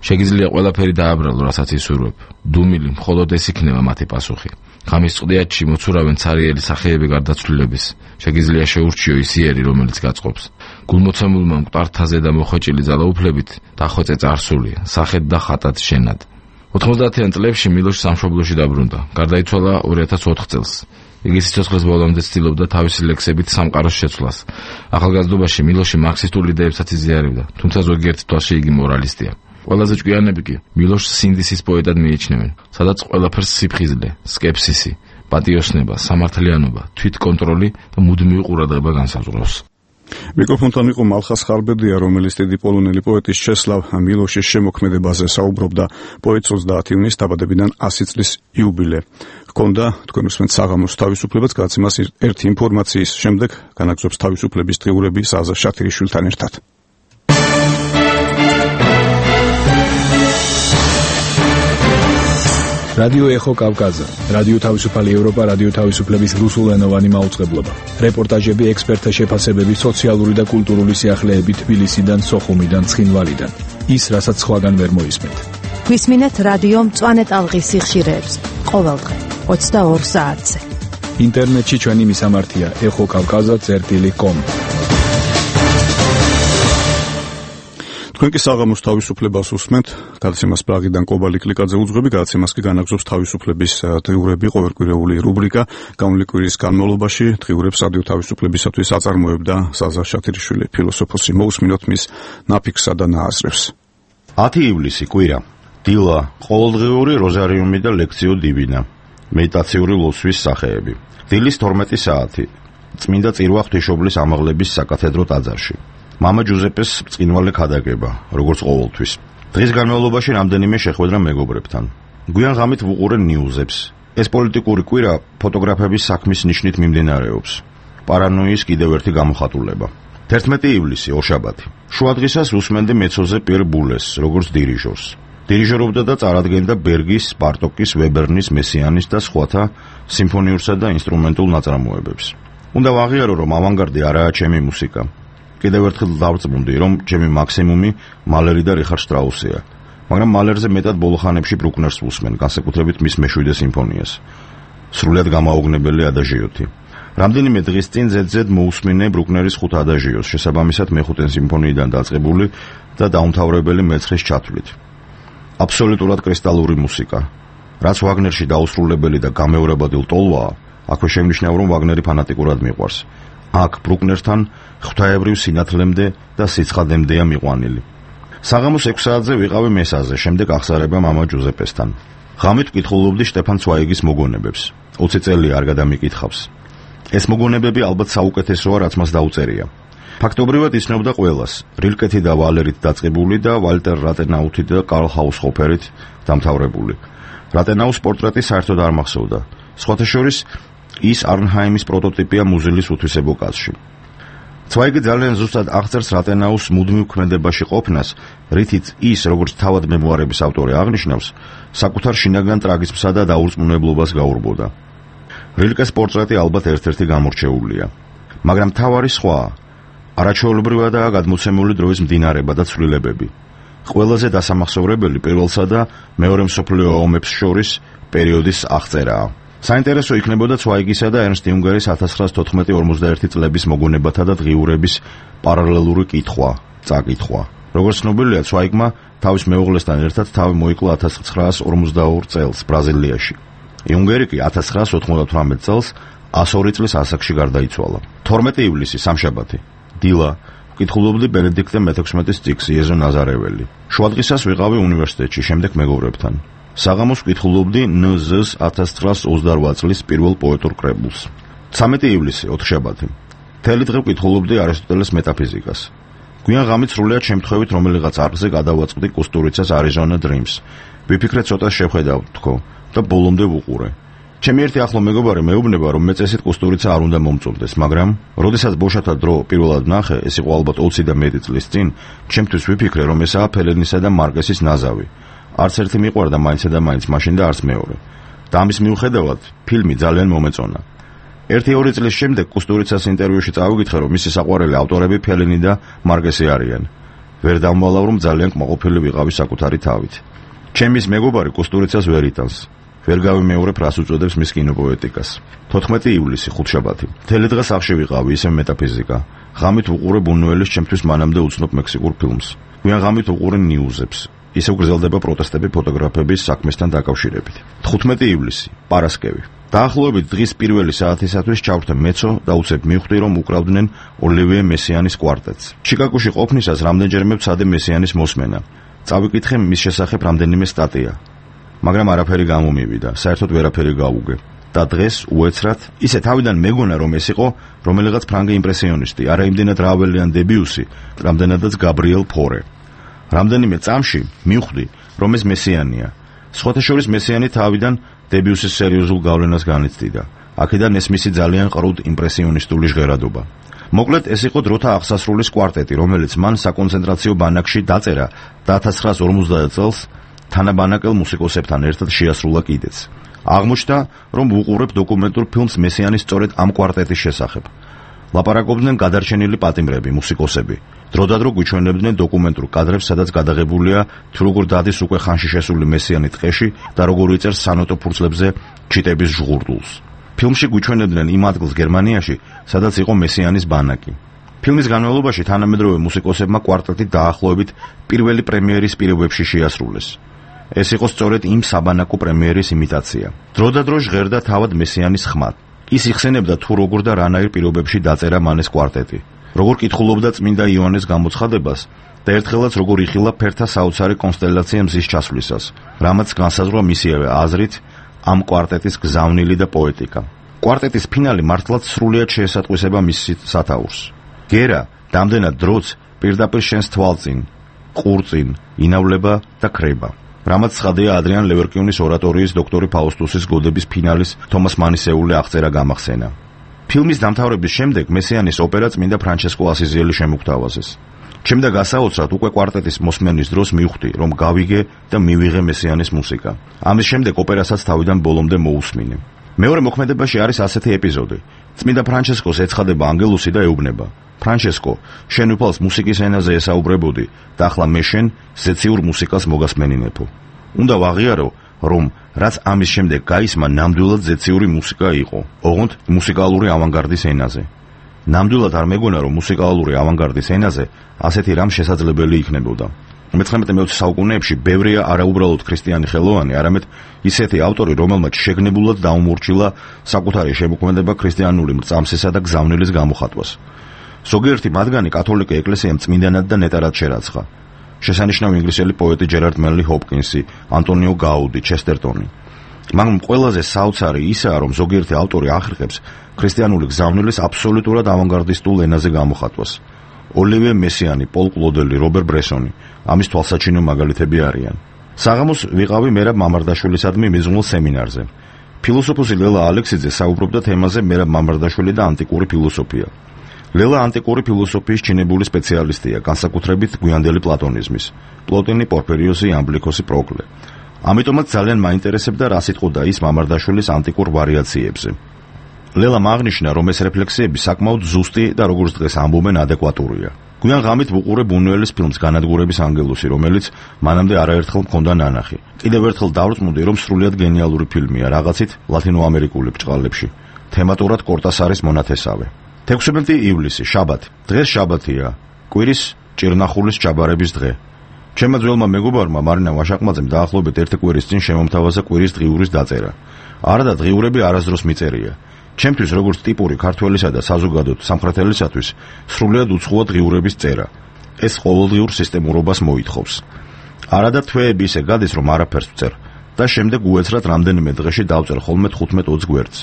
შეგიძლია ყველაფერი დააბრალო რასაც ისურვებ დუმილი მხოლოდ ეს იქნება მათი პასუხი ღამის წყდიათში მოცურავენ ცარიელი სახეები გარდაცვლილების შეგიძლია შეურჩიო ის იერი რომელიც გაწყობს გულმოცემულმა მკვდართაზე და მოხვეჭილი ძალაუფლებით დახვეწე წარსული სახედ და ხატად შენად 90-იან წლებში მილოშ სამშობლოში დაბრუნდა გარდაიცვალა 2004 წელს იგი სიცოცხლის ბოლომდე ცდილობდა თავისი ლექსებით სამყაროს შეცვლას ახალგაზრდობაში მილოში მარქსისტულ იდეებსაც იზიარებდა თუმცა ზოგიერთ თვალში იგი მორალისტია ყველაზე ჭკვიანები კი მილოშს სინდისის პოეტად მიიჩნევენ სადაც ყველაფერს სიფხიზლე სკეპსისი პატიოსნება სამართლიანობა თვითკონტროლი და მუდმივი ყურადღება განსაზღვრავს მიკროფონთან იყო მალხას ხარბედია, რომელიც დიდი პოლონელი პოეტის ჩესლავ მილოშის შემოქმედებაზე საუბრობდა. პოეტს 30 ივნის დაბადებიდან 100 წლის იუბილე ჰქონდა. თქვენ უსმენთ საღამოს თავისუფლებას, გადაცემას ერთი ინფორმაციის შემდეგ განაგზობს თავისუფლების დღიურები ზაზა შათირიშვილთან ერთად. რადიო ეხო კავკაზა, რადიო თავისუფალი ევროპა, რადიო თავისუფლების რუსულენოვანი მაუწყებლობა. რეპორტაჟები, ექსპერტთა შეფასებები, სოციალური და კულტურული სიახლეები თბილისიდან, სოხუმიდან, ცხინვალიდან. ის, რასაც სხვაგან ვერ მოისმენთ. გვისმინეთ რადიო მწვანე ტალღის სიხშირეებს ყოველდღე 22 საათზე. ინტერნეტში ჩვენი მისამართია ეხოკავკაზა.com. თქვენ კი საღამოს თავისუფლებას უსმენთ, გადაცემას პრაღიდან კობალი კლიკაძე უძღვები, გადაცემას კი განაგზობს თავისუფლების დღიურები, ყოველკვირეული რუბრიკა, გამული კვირის განმავლობაში დღიურებს რადიო თავისუფლებისათვის აწარმოებდა ზაზა შათირიშვილი ფილოსოფოსი. მოусმინოთ მის ნაფიქსსა და ნააზრევს. 10 ივლისი კვირა, დილა, ყოველდღიური როზარიუმი და ლექციო დივინა, მედიტაციური ლოცვის სახეები. დილის 12 საათი, წმინდა წირვა ღვთისმშობლის ამაღლების საკათედრო ტაძარში. მამა ჯუზეპეს წინვალე ქადაგება, როგორც ყოველთვის. დღის განმავლობაში რამდენიმე შეხვედრა მეგობრებთან. გვიან ღამით ვუყურე ნიუზებს. ეს პოლიტიკური კვირა ფოტოგრაფების საქმის ნიშნით მიმდინარეობს. პარანოიის კიდევ ერთი გამოხატულება. 11 ივლისი, ორშაბათი. შუადღისას უსმენდი მეცოზე პიერ ბულეს, როგორც დირიჟორს. დირიჟორობდა და წარადგენდა ბერგის, ბარტოკის, ვებერნის, მესიანის და სხვათა სიმფონიურსა და ინსტრუმენტულ ნაწარმოებებს. უნდა ვაღიარო, რომ ავანგარდი არაა ჩემი მუსიკა. კიდევ ერთხელ დავწმუნდი, რომ ჩემი მაქსიმუმი მალერი და რიხარდ შტრაუსია, მაგრამ მალერზე მეტად ბოლოხანებში ბრუკნერს ვუსმენ, განსაკუთრებით მის მე-7 სიმფონიას. სრულიად გამაოგნებელი ადაჟიოთი. რამდენიმე დღის წინ ზედზედ მოусმინე ბრუკნერის 5 ადაჟიოს, შესაბამისად მე-5 სიმფონიიდან დაწყებული და დაუმთავრებელი მე-9-ის ჩათვლით. აბსოლუტურად კრისტალური მუსიკა. რაც ვაგნერში დაუსრულებელი და გამეორებადი ტოლვაა, აქვე შემნიშნავ, რომ ვაგნერი ფანატიკურად მიყვარს. აქ ბრუკნერსთან ღვთაებრივ სინათლემდე და სიცხადემდეა მიყვანილი. საღამოს 6 საათზე ვიყავი მესაზე, შემდეგ აღსარება მამა ჯუზეპესთან. ღამით ვკითხულობდი შტეფან ცვაიგის მოგონებებს. 20 წელი არ გადამიკითხავს. ეს მოგონებები ალბათ საუკეთესოა, რაც მას დაუწერია. ფაქტობრივად იცნობდა ყველას, რილკეთი და ვალერით დაწყებული და ვალტერ რატენაუთი და კარლ ჰაუსჰოფერით დამთავრებული. რატენაუს პორტრეტი საერთოდ არ მახსოვდა. სხვათა შორის ის არნჰაიმის პროტოტიპია მუზილის უთვისებო კაცში. ცვაიგი ძალიან ზუსტად აღწერს რატენაუს მუდმივ ქმედებაში ყოფნას, რითიც ის, როგორც თავად მემუარების ავტორი აღნიშნავს, საკუთარ შინაგან ტრაგიზმსა და დაურწმუნებლობას გაურბოდა. რილკეს პორტრეტი ალბათ ერთ-ერთი გამორჩეულია, მაგრამ თავარი სხვაა. არაჩვეულებრივადაა გადმოცემული დროის მდინარება და ცვლილებები. ყველაზე დასამახსოვრებელი პირველსა და მეორე მსოფლიო ომებს შორის პერიოდის აღწერაა. საინტერესო იქნებოდა ცვაიგისა და ერნსტ იუნგერის 1914-51 წლების მოგონებათა და დღიურების პარალელური წაკითხვა. როგორც ცნობილია, ცვაიგმა თავის მეუღლესთან ერთად თავი მოიკლა 1942 წელს ბრაზილიაში. იუნგერი კი 1998 წელს 102 წლის ასაკში გარდაიცვალა. 12 ივლისი სამშაბათი. დილა ვკითხულობდი ბენედიქტე მე-16-ის წიგნს იეზო ნაზარეველი. შუადღისას ვიყავი უნივერსიტეტში, შემდეგ მეგობრებთან. საღამოს ვკითხულობდი ნზ-ს 1928 წლის პირველ პოეტურ კრებულს. 13 ივლისი, ოთხშაბათი. მთელი დღე ვკითხულობდი არისტოტელეს მეტაფიზიკას. გვიან ღამით სრულიად შემთხვევით რომელიღაც არხზე გადავაწყდი კუსტურიცას Arizona Dreams. ვიფიქრე ცოტა შევხედავ თქო და ბოლომდე ვუყურე. ჩემი ერთი ახლო მეგობარი მეუბნება, რომ მე წესით კუსტურიცა არ უნდა მომწონდეს, მაგრამ როდესაც ბოშათა დრო პირველად ნახე, ეს იყო ალბათ 20 და მეტი წლის წინ, ჩემთვის ვიფიქრე, რომ ესაა ფელენისა და მარკესის ნაზავი. არც ერთი მიყვარდა მაინც და მაინც, მაშინ და არც მეორე. და ამის მიუხედავად, ფილმი ძალიან მომეწონა. 1-2 წლის შემდეგ კუსტურიცას ინტერვიუში წავიკითხე, რომ მისი საყვარელი ავტორები ფელენი და მარკესი არიან. ვერ დამვალავ, რომ ძალიან კმაყოფილი ვიყავი საკუთარი თავით. ჩემის მეგობარი კუსტურიცას ვერ იტანს. ვერ გავიმეორებ, რას უწოდებს მის კინოპოეტიკას. 14 ივლისი, ხუთშაბათი. მთელი დღე სახლში ვიყავი, ისევ მეტაფიზიკა. ღამით ვუყურებ ბუნუელის ჩემთვის მანამდე უცნობ მექსიკურ ფილმს. გვიან ღამით ვუყურე ნიუზებს. ისევ გრძელდება პროტესტები ფოტოგრაფების საქმესთან დაკავშირებით. 15 ივლისი, პარასკევი. დაახლოებით დღის პირველი საათისათვის ჩავრთე მეცო და უცებ მივხვდი, რომ უკრავდნენ ოლივიე მესიანის კვარტეტს. ჩიკაგოში ყოფნისას რამდენჯერმე ვცადე მესიანის მოსმენა. წავიკითხე მის შესახებ რამდენიმე სტატია. მაგრამ არაფერი გამომივიდა, საერთოდ ვერაფერი გავუგე. და დღეს უეცრად ისე თავიდან მეგონა, რომ ეს იყო რომელიღაც ფრანგი იმპრესიონისტი, არა იმდენად რაველიან დებიუსი, რამდენადაც გაბრიელ ფორე. რამდენიმე წამში მივხვდი, რომ ეს მესიანია. სხვათა შორის მესიანი თავიდან დებიუსის სერიოზულ გავლენას განიცდიდა. აქედან ეს მისი ძალიან ყრუდ იმპრესიონისტული ჟღერადობა. მოკლედ ეს იყო დროთა აღსასრულის კვარტეტი, რომელიც მან საკონცენტრაციო ბანაკში დაწერა და 1950 წელს თანაბანაკელ მუსიკოსებთან ერთად შეასრულა კიდეც. აღმოჩნდა, რომ ვუყურებ დოკუმენტურ ფილმს მესიანის სწორედ ამ კვარტეტის შესახებ. ლაპარაკობდნენ გადარჩენილი პატიმრები, მუსიკოსები. დროდადრო გვიჩვენებდნენ დოკუმენტურ კადრებს, სადაც გადაღებულია თუ როგორ დადის უკვე ხანში შესული მესიანი ტყეში და როგორ იწერს სანოტო ფურცლებზე ჩიტების ჟღურდულს. ფილმში გვიჩვენებდნენ იმ ადგილს გერმანიაში, სადაც იყო მესიანის ბანაკი. ფილმის განმავლობაში თანამედროვე მუსიკოსებმა კვარტეტი დაახლოებით პირველი პრემიერის პირობებში შეასრულეს. ეს იყო სწორედ იმ საბანაკო პრემიერის იმიტაცია. დროდადრო ჟღერდა თავად მესიანის ხმად. ის იხსენებდა თუ როგორ და რანაირ პირობებში დაწერა მან ეს კვარტეტი. როგორ კითხულობდა წმინდა იოანეს გამოცხადებას და ერთხელაც როგორ იხილა ფერთა საოცარი კონსტელაცია მზის ჩასვლისას, რამაც განსაზღვრა მისივე აზრით ამ კვარტეტის გზავნილი და პოეტიკა. კვარტეტის ფინალი მართლაც სრულიად შეესატყვისება მის სათაურს. გერა დამდენად დროც პირდაპირ შენს თვალწინ, ყურწინ ინავლება და ქრება. რამაც ცხადია ადრიან ლევერკიუნის ორატორიის დოქტორი ფაუსტუსის გოდების ფინალის თომას მანისეული აღწერა გამახსენა. ფილმის დამთავრების შემდეგ მესიანის ოპერა წმინდა ფრანჩესკო ასიზიელი შემოგთავაზეს. ჩემდა გასაოცრად უკვე კვარტეტის მოსმენის დროს მივხვდი, რომ გავიგე და მივიღე მესიანის მუსიკა. ამის შემდეგ ოპერასაც თავიდან ბოლომდე მოусმინე. მეორე მოქმედებაში არის ასეთი ეპიზოდი. წმინდა ფრანჩესკოს ეცხადება ანგელუსი და ეუბნება: ფრანჩესკო, შენ უფალს მუსიკის ენაზე ესაუბრებოდი და ახლა მე შენ ზეციურ მუსიკას მოგასმენინებო. უნდა ვაღიარო, რომ რაც ამის შემდეგ გაისმა ნამდვილად ზეციური მუსიკა იყო, ოღონდ მუსიკალური ავანგარდის ენაზე. ნამდვილად არ მეგონა, რომ მუსიკალური ავანგარდის ენაზე ასეთი რამ შესაძლებელი იქნებოდა. მე-19 საუკუნეებში ბევრია არაუბრალოდ ქრისტიანი ხელოვანი, არამედ ისეთი ავტორი, რომელმაც შეგნებულად დაუმორჩილა საკუთარი შემოქმედება ქრისტიანული მრწამსისა და გზავნილის გამოხატვას. ზოგიერთი მათგანი კათოლიკე ეკლესიამ წმინდანად და ნეტარად შერაცხა. შესანიშნავი ინგლისელი პოეტი ჯერარდ მენლი ჰოპკინსი, ანტონიო გაუდი, ჩესტერტონი. მაგრამ ყველაზე საოცარი ისაა, რომ ზოგიერთი ავტორი ახერხებს ქრისტიანული გზავნილის აბსოლუტურად ავანგარდისტულ ენაზე გამოხატვას. ოლივიე მესიანი, პოლ კლოდელი, რობერ ბრესონი ამის თვალსაჩინო მაგალითები არიან. საღამოს ვიყავი მერაბ მამარდაშვილისადმი მიზნულ სემინარზე. ფილოსოფოსი ლელა ალექსიძე საუბრობდა თემაზე მერაბ მამარდაშვილი და ანტიკური ფილოსოფია. ლელა ანტიკური ფილოსოფიის ჩინებული სპეციალისტია, განსაკუთრებით გვიანდელი პლატონიზმის. პლოტინი, პორფირიოსი, ამბლიქოსი, პროკლე. ამიტომაც ძალიან მაინტერესებდა რა სიტყოდა ის მამარდაშვილის ანტიკურ ვარიაციებზე. ლელამ აღნიშნა, რომ ეს რეფლექსიები საკმაოდ ზუსტი და როგორც დღეს ამბობენ ადეკვატურია. გვიან ღამით ვუყურებ ბუნუელის ფილმს განადგურების ანგელუსი, რომელიც მანამდე არაერთხელ მქონდა ნანახი. კიდევ ერთხელ დავრწმუნდი, რომ სრულიად გენიალური ფილმია, რაღაცით ლათინოამერიკული ბრჭყალებში. თემატურად კორტასარის მონათესავე. 16 ივლისი, შაბათი. დღეს შაბათია. კვირის ჭირნახულის ჩაბარების დღე. ჩემმა ძველმა მეგობარმა მარინა ვაშაკმაძემ დაახლოებით 1 კვირის წინ შემომთავაზა კვირის დღიურის დაწერა. არა და დღიურები არასდროს მიწერია. ჩემთვის როგორც ტიპური ქართველისა და საზოგადოდ სამხრეთელისათვის სრულიად უცხოა დღიურების წერა. ეს ყოველდღიურ სისტემურობას მოითხოვს. არა და თვეები ისე გადის, რომ არაფერს ვწერ და შემდეგ უეცრად რამდენიმე დღეში დავწერ ხოლმე 15-20 გვერდს.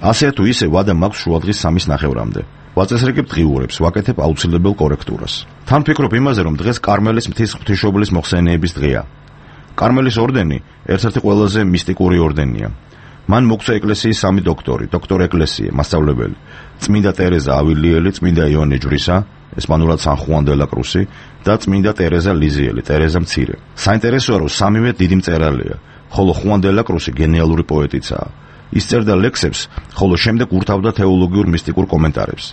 ასე თუ ისე ვადა მაქვს შუადღის 3:30-მდე. ვაწესრიგებ დღიურებს, ვაკეთებ აუცილებელ კორექტურას. თან ფიქრობ იმაზე, რომ დღეს კარმელის მთის ღვთისმშობლის მოხსენიების დღეა. კარმელის ორდენი ერთ-ერთი ყველაზე მისტიკური ორდენია. მან მოგვცა ეკლესიის 3 დოქტორი, დოქტორ ეკლესიე, მასწავლებელი, წმინდა ტერეზა ავილიელი, წმინდა იონე ჯვრისა, ესპანურად სან ხუან დე ლა კრუსი და წმინდა ტერეზა ლიზიელი, ტერეზა მცირე. საინტერესოა, რომ სამივე დიდი მწერალია, ხოლო ხუან დე ლა კრუსი გენიალური პოეტიცაა. ის წერდა ლექსებს, ხოლო შემდეგ ურთავდა თეოლოგიურ მისტიკურ კომენტარებს.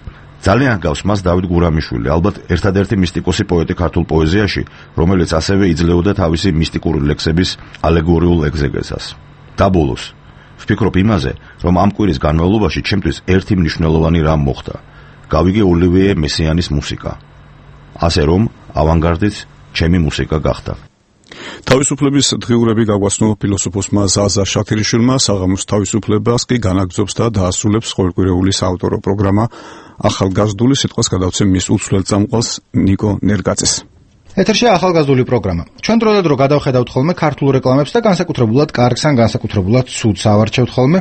ძალიან ჰგავს მას დავით გურამიშვილი, ალბათ ერთადერთი მისტიკოსი პოეტი ქართულ პოეზიაში, რომელიც ასევე იძლეოდა თავისი მისტიკური ლექსების ალეგორიულ ეგზეგეზას. და ბოლოს ვფიქრობ იმაზე, რომ ამ კვირის განმავლობაში ჩემთვის ერთი მნიშვნელოვანი რამ მოხდა. გავიგე ოლივიე მესიანის მუსიკა. ასე რომ, ავანგარდით ჩემი მუსიკა გახდა. თავისუფლების დღიურები გაგვაცნო ფილოსოფოსმა ზაზა შაქირიშვილმა, საღამოს თავისუფლებას კი განაგრძობს და დაასრულებს ყოველკვირეულის საავტორო პროგრამა ახალგაზრდული, სიტყვას გადავცემ მის უცვლელ წამყვანს ნიკო ნერგაძეს. ეთერშია ახალგაზრდული პროგრამა. ჩვენ დრო და დრო გადავხედავთ ხოლმე ქართულ რეკლამებს და განსაკუთრებულად კარგს ან განსაკუთრებულად ცუდს ავარჩევთ ხოლმე,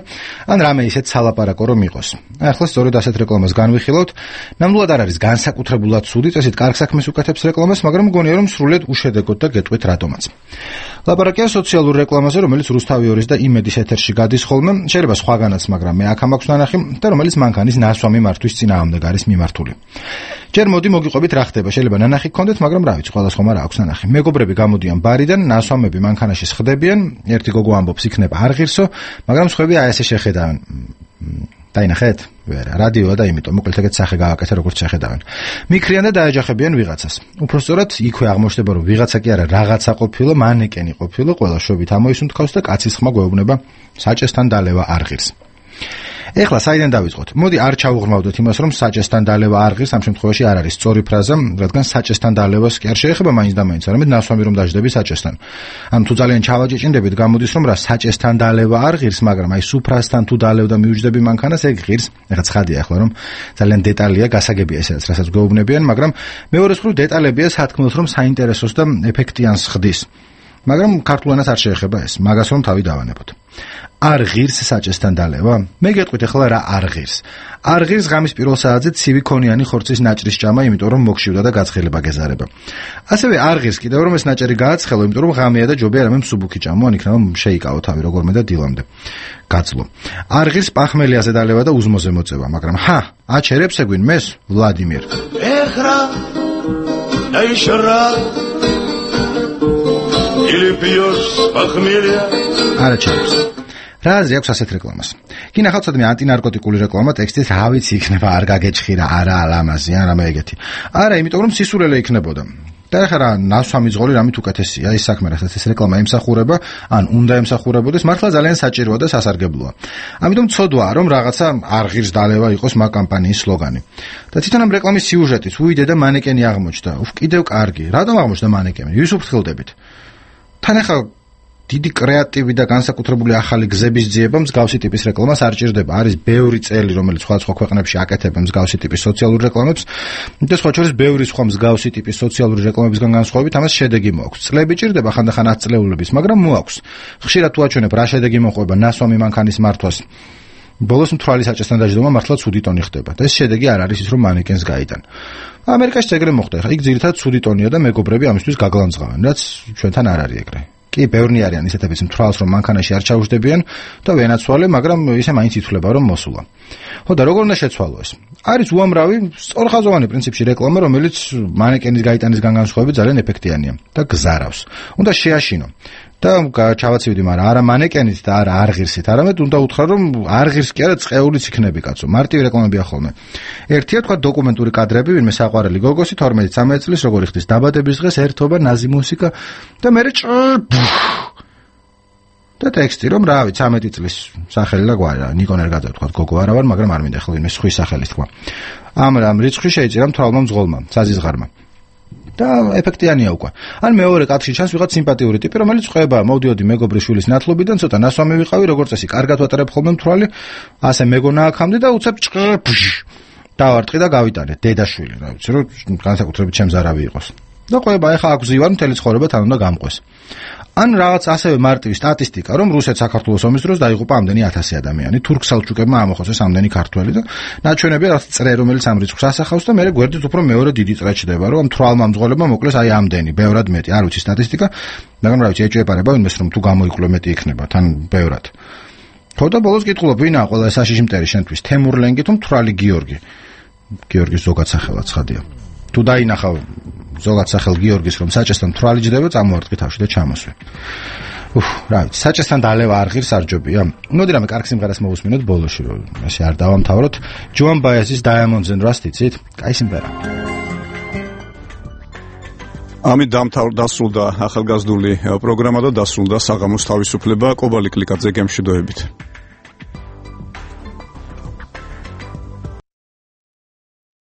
ან რამე ისეთ სალაპარაკო რომ იყოს. ახლა სწორედ ასეთ რეკლამას განვიხილავთ. ნამდვილად არ არის განსაკუთრებულად ცუდი, წესით კარგ საქმეს უკეთებს რეკლამას, მაგრამ მგონია რომ სრულიად უშედეგოდ და გეტყვით რატომაც. ლაპარაკია სოციალურ რეკლამაზე, რომელიც რუსთავი 2-ის და იმედის ეთერში გადის ხოლმე, შეიძლება სხვაგანაც, მაგრამ მე აქ მაქვს ნანახი და რომელიც მანქანის ნასვამი მართვის წინააღმდეგ არის მიმართული. ჯერ მოდი მოგიყვებით რა ხდება, შეიძლება ნანახი გქონდეთ, მაგრამ რა ვიცი, სხვადასხვა არ აქვს ნანახი. მეგობრები გამოდიან ბარიდან, ნასვამები მანქანაში სხდებიან, ერთი გოგო ამბობს იქნება არ ღირსო, მაგრამ სხვები აი ესე შეხედავენ. დაინახეთ? ვერა, რადიოა და იმიტომ მოკლედ ეგეთ სახე გავაკეთე, როგორც შეხედავენ. მიქრიან და დაეჯახებიან ვიღაცას. უბრალოდ იქვე აღმოჩნდება, რომ ვიღაცა კი არა, რაღაცა ყოფილა, მანეკენი ყოფილა, ყველა შობით ამოისუნთქავს და კაცის ხმა გვეუბნება, საჭესთან დალევა არ ღირს. ეხლა საიდან დავიწყოთ? მოდი არ ჩავუღრმავდეთ იმას, რომ საჭესთან დალევა არ ღირს, ამ შემთხვევაში არ არის სწორი ფრაზა, რადგან საჭესთან დალევას კი არ შეეხება მაინც და მაინც, არამედ ნასვამი რომ დაждები საჭესთან. ან თუ ძალიან ჩავაჭეჭინდებით, გამოდის რომ რა საჭესთან დალევა არ ღირს, მაგრამ აი სუფრასთან თუ დალევდა მიუჯდები მანქანას, ეგ ღირს. ეხლა ცხადია ახლა რომ ძალიან დეტალია, გასაგებია ესეც, რასაც გვეუბნებიან, მაგრამ მეორე მხრივ დეტალებია სათქმელს რომ საინტერესოს და ეფექტიანს ხდის. მაგრამ ქართულენას არ შეეხება ეს, მაგას რომ თავი დავანებოთ. არ ღირს საჭესთან დალევა? მე გეტყვით ახლა რა არ ღირს. არ ღირს ღამის პირველ საათზე ცივი ქონიანი ხორცის ნაჭრის ჭამა, იმიტომ რომ მოგშივდა და გაცხელება გეზარება. ასევე არ ღირს კიდევ რომ ეს ნაჭერი გააცხელო, იმიტომ რომ ღამეა და ჯობია რამე მსუბუქი ჭამო, ან იქნება შეიკავო თავი როგორმე და დილამდე. გაძლო. არ ღირს პახმელიაზე დალევა და უზმოზე მოწევა, მაგრამ აჩერებს ეგვინ მეს ვლადიმირ. ეხრა დაიშრა или пьешь похмелья. არაჩერებს. რა აზრი აქვს ასეთ რეკლამას? კი ნახავთ სადმე ანტინარკოტიკული რეკლამა ტექსტით რა ვიცი იქნება არ გაგეჭხირა, არა ალამაზი, ან რამე ეგეთი. არა, იმიტომ რომ სისულელე იქნებოდა. და ახლა რა ნასვამი ძღოლი რამით უკეთესია, ის საქმე რასაც ეს რეკლამა ემსახურება, ან უნდა ემსახურებოდეს, მართლა ძალიან საჭიროა და სასარგებლოა. ამიტომ ცოდვაა რომ რაღაცა არ ღირს დალევა იყოს მაგ კამპანიის სლოგანი. და თვითონ ამ რეკლამის სიუჟეტიც უიდე და მანეკენი აღმოჩნდა. კიდევ კარგი. რატომ აღმოჩნდა მანეკენი? ვის უფრთხილდებით? თან ახლა დიდი კრეატივი და განსაკუთრებული ახალი გზების ძიება მსგავსი ტიპის რეკლამას არ ჭირდება. არის ბევრი წელი, რომელიც სხვადასხვა ქვეყნებში აკეთებენ მსგავსი ტიპის სოციალურ რეკლამებს და სხვა შორის ბევრი სხვა მსგავსი ტიპის სოციალური რეკლამებისგან განსხვავებით ამას შედეგი მოაქვს. წლები ჭირდება ხანდახან ათწლეულების, მაგრამ მოაქვს. ხშირად თუ აჩვენებ რა შედეგი მოყვება ნასვამი მანქანის მართვას, ბოლოს მთვრალი საჭესთან დაждდომა მართლა ცუდი ტონი ხდება და ეს შედეგი არ არის ის რომ მანეკენს გაიტან. ამერიკაში ეგრე მოხდა. ხა იქ ძირითადად ცუდი ტონია და მეგობრები ამისთვის გაგლანძღავენ, რაც ჩვენთან არ არის ეგრე. კი, ბევრნი არიან ისეთებიც მთვრალს რომ მანქანაში არ ჩაუждდებიან და ვენაცვალე, მაგრამ ისე მაინც ითვლება რომ მოსულა. ხო და როგორ უნდა შეცვალო ეს? არის უამრავი სწორხაზოვანი პრინციპში რეკლამა, რომელიც მანეკენის გაიტანისგან განსხვავებით ძალიან ეფექტიანია და გზარავს. უნდა შეაშინო. და ჩავაცივდი, მაგრამ არა მანეკენით და არა არღირსით, არამედ უნდა უთხრა, რომ არღირს კი არა, წყეულიც იქნები, კაცო. მარტივი რეკლამებია ხოლმე. ერთია თქვა დოკუმენტური კადრები, ვინმე საყვარელი გოგოსი 12-13 წლის როგორი ხდის დაბადების დღეს ერთობა ნაზი მუსიკა და მე და ტექსტი რომ რა ვიცი 13 წლის სახელი და გვარი ნიკონ ერგაძე თქვა გოგო არა ვარ, მაგრამ არ მინდა ხო ვინმე სხვის სახელი თქვა. ამ რიცხვი შეიჭირა მთვრალმა მძღოლმა, საზიზღარმა. და ეფექტიანია უკვე. ან მეორე კაცში ჩანს ვიღაც სიმპათიური ტიპი, რომელიც ყვება, მოვდიოდი მეგობრის შვილის ნათლობიდან, ცოტა ნასვამი ვიყავი, როგორც წესი, კარგად ვატარებ ხოლმე მთვრალი, ასე მეგონა აქამდე და უცებ დავარტყი და გავიტანე დედაშვილი, რა ვიცი, რომ განსაკუთრებით ჩემს არავი იყოს. და ყვება, ეხა აქ ვზივარ, მთელი ცხოვრება თან უნდა გამყვეს. ან რაღაც ასევე მარტივი სტატისტიკა, რომ რუსეთ-საქართველოს ომის დროს დაიღუპა ამდენი 1000 ადამიანი, თურქ-სელჩუკებმა ამოხოცეს ამდენი ქართველი და ნაჩვენებია რაღაც წრე, რომელიც ამ რიცხვს ასახავს და მე გვერდით უფრო მეორე დიდი წრე ჩდება, რომ მთვრალმა მძღოლებმა მოკლეს აი ამდენი, ბევრად მეტი, არ ვიცი სტატისტიკა, მაგრამ რა ვიცი, ეჭვებარება ვინმეს რომ თუ გამოიკლო მეტი იქნება, თან ბევრად. ხო და ბოლოს კითხულობ, ვინაა ყველა ეს აშიში მტერი შენთვის, თემურ ლენგი თუ მთვრალი გიორგი? გიორგის ზოგად სახელად ცხადია. თუ დაინახავ ზოგად სახელ გიორგის რომ საჭესთან მთვრალი ჯდება, წამოვარტყი თავში და ჩამოსვე. რა ვიცი, საჭესთან დალევა არღირს არ ჯობია. მოდი რამე კარგ სიმღერას მოვუსმინოთ ბოლოში, რომ ასე არ დავამთავროთ. ჯოან ბაიასის Diamonds and Rust იცით? კაი სიმღერა. ამით დასრულდა ახალგაზრდული პროგრამა და დასრულდა საღამოს თავისუფლება. კობალი კლიკაძე გემშვიდობებით.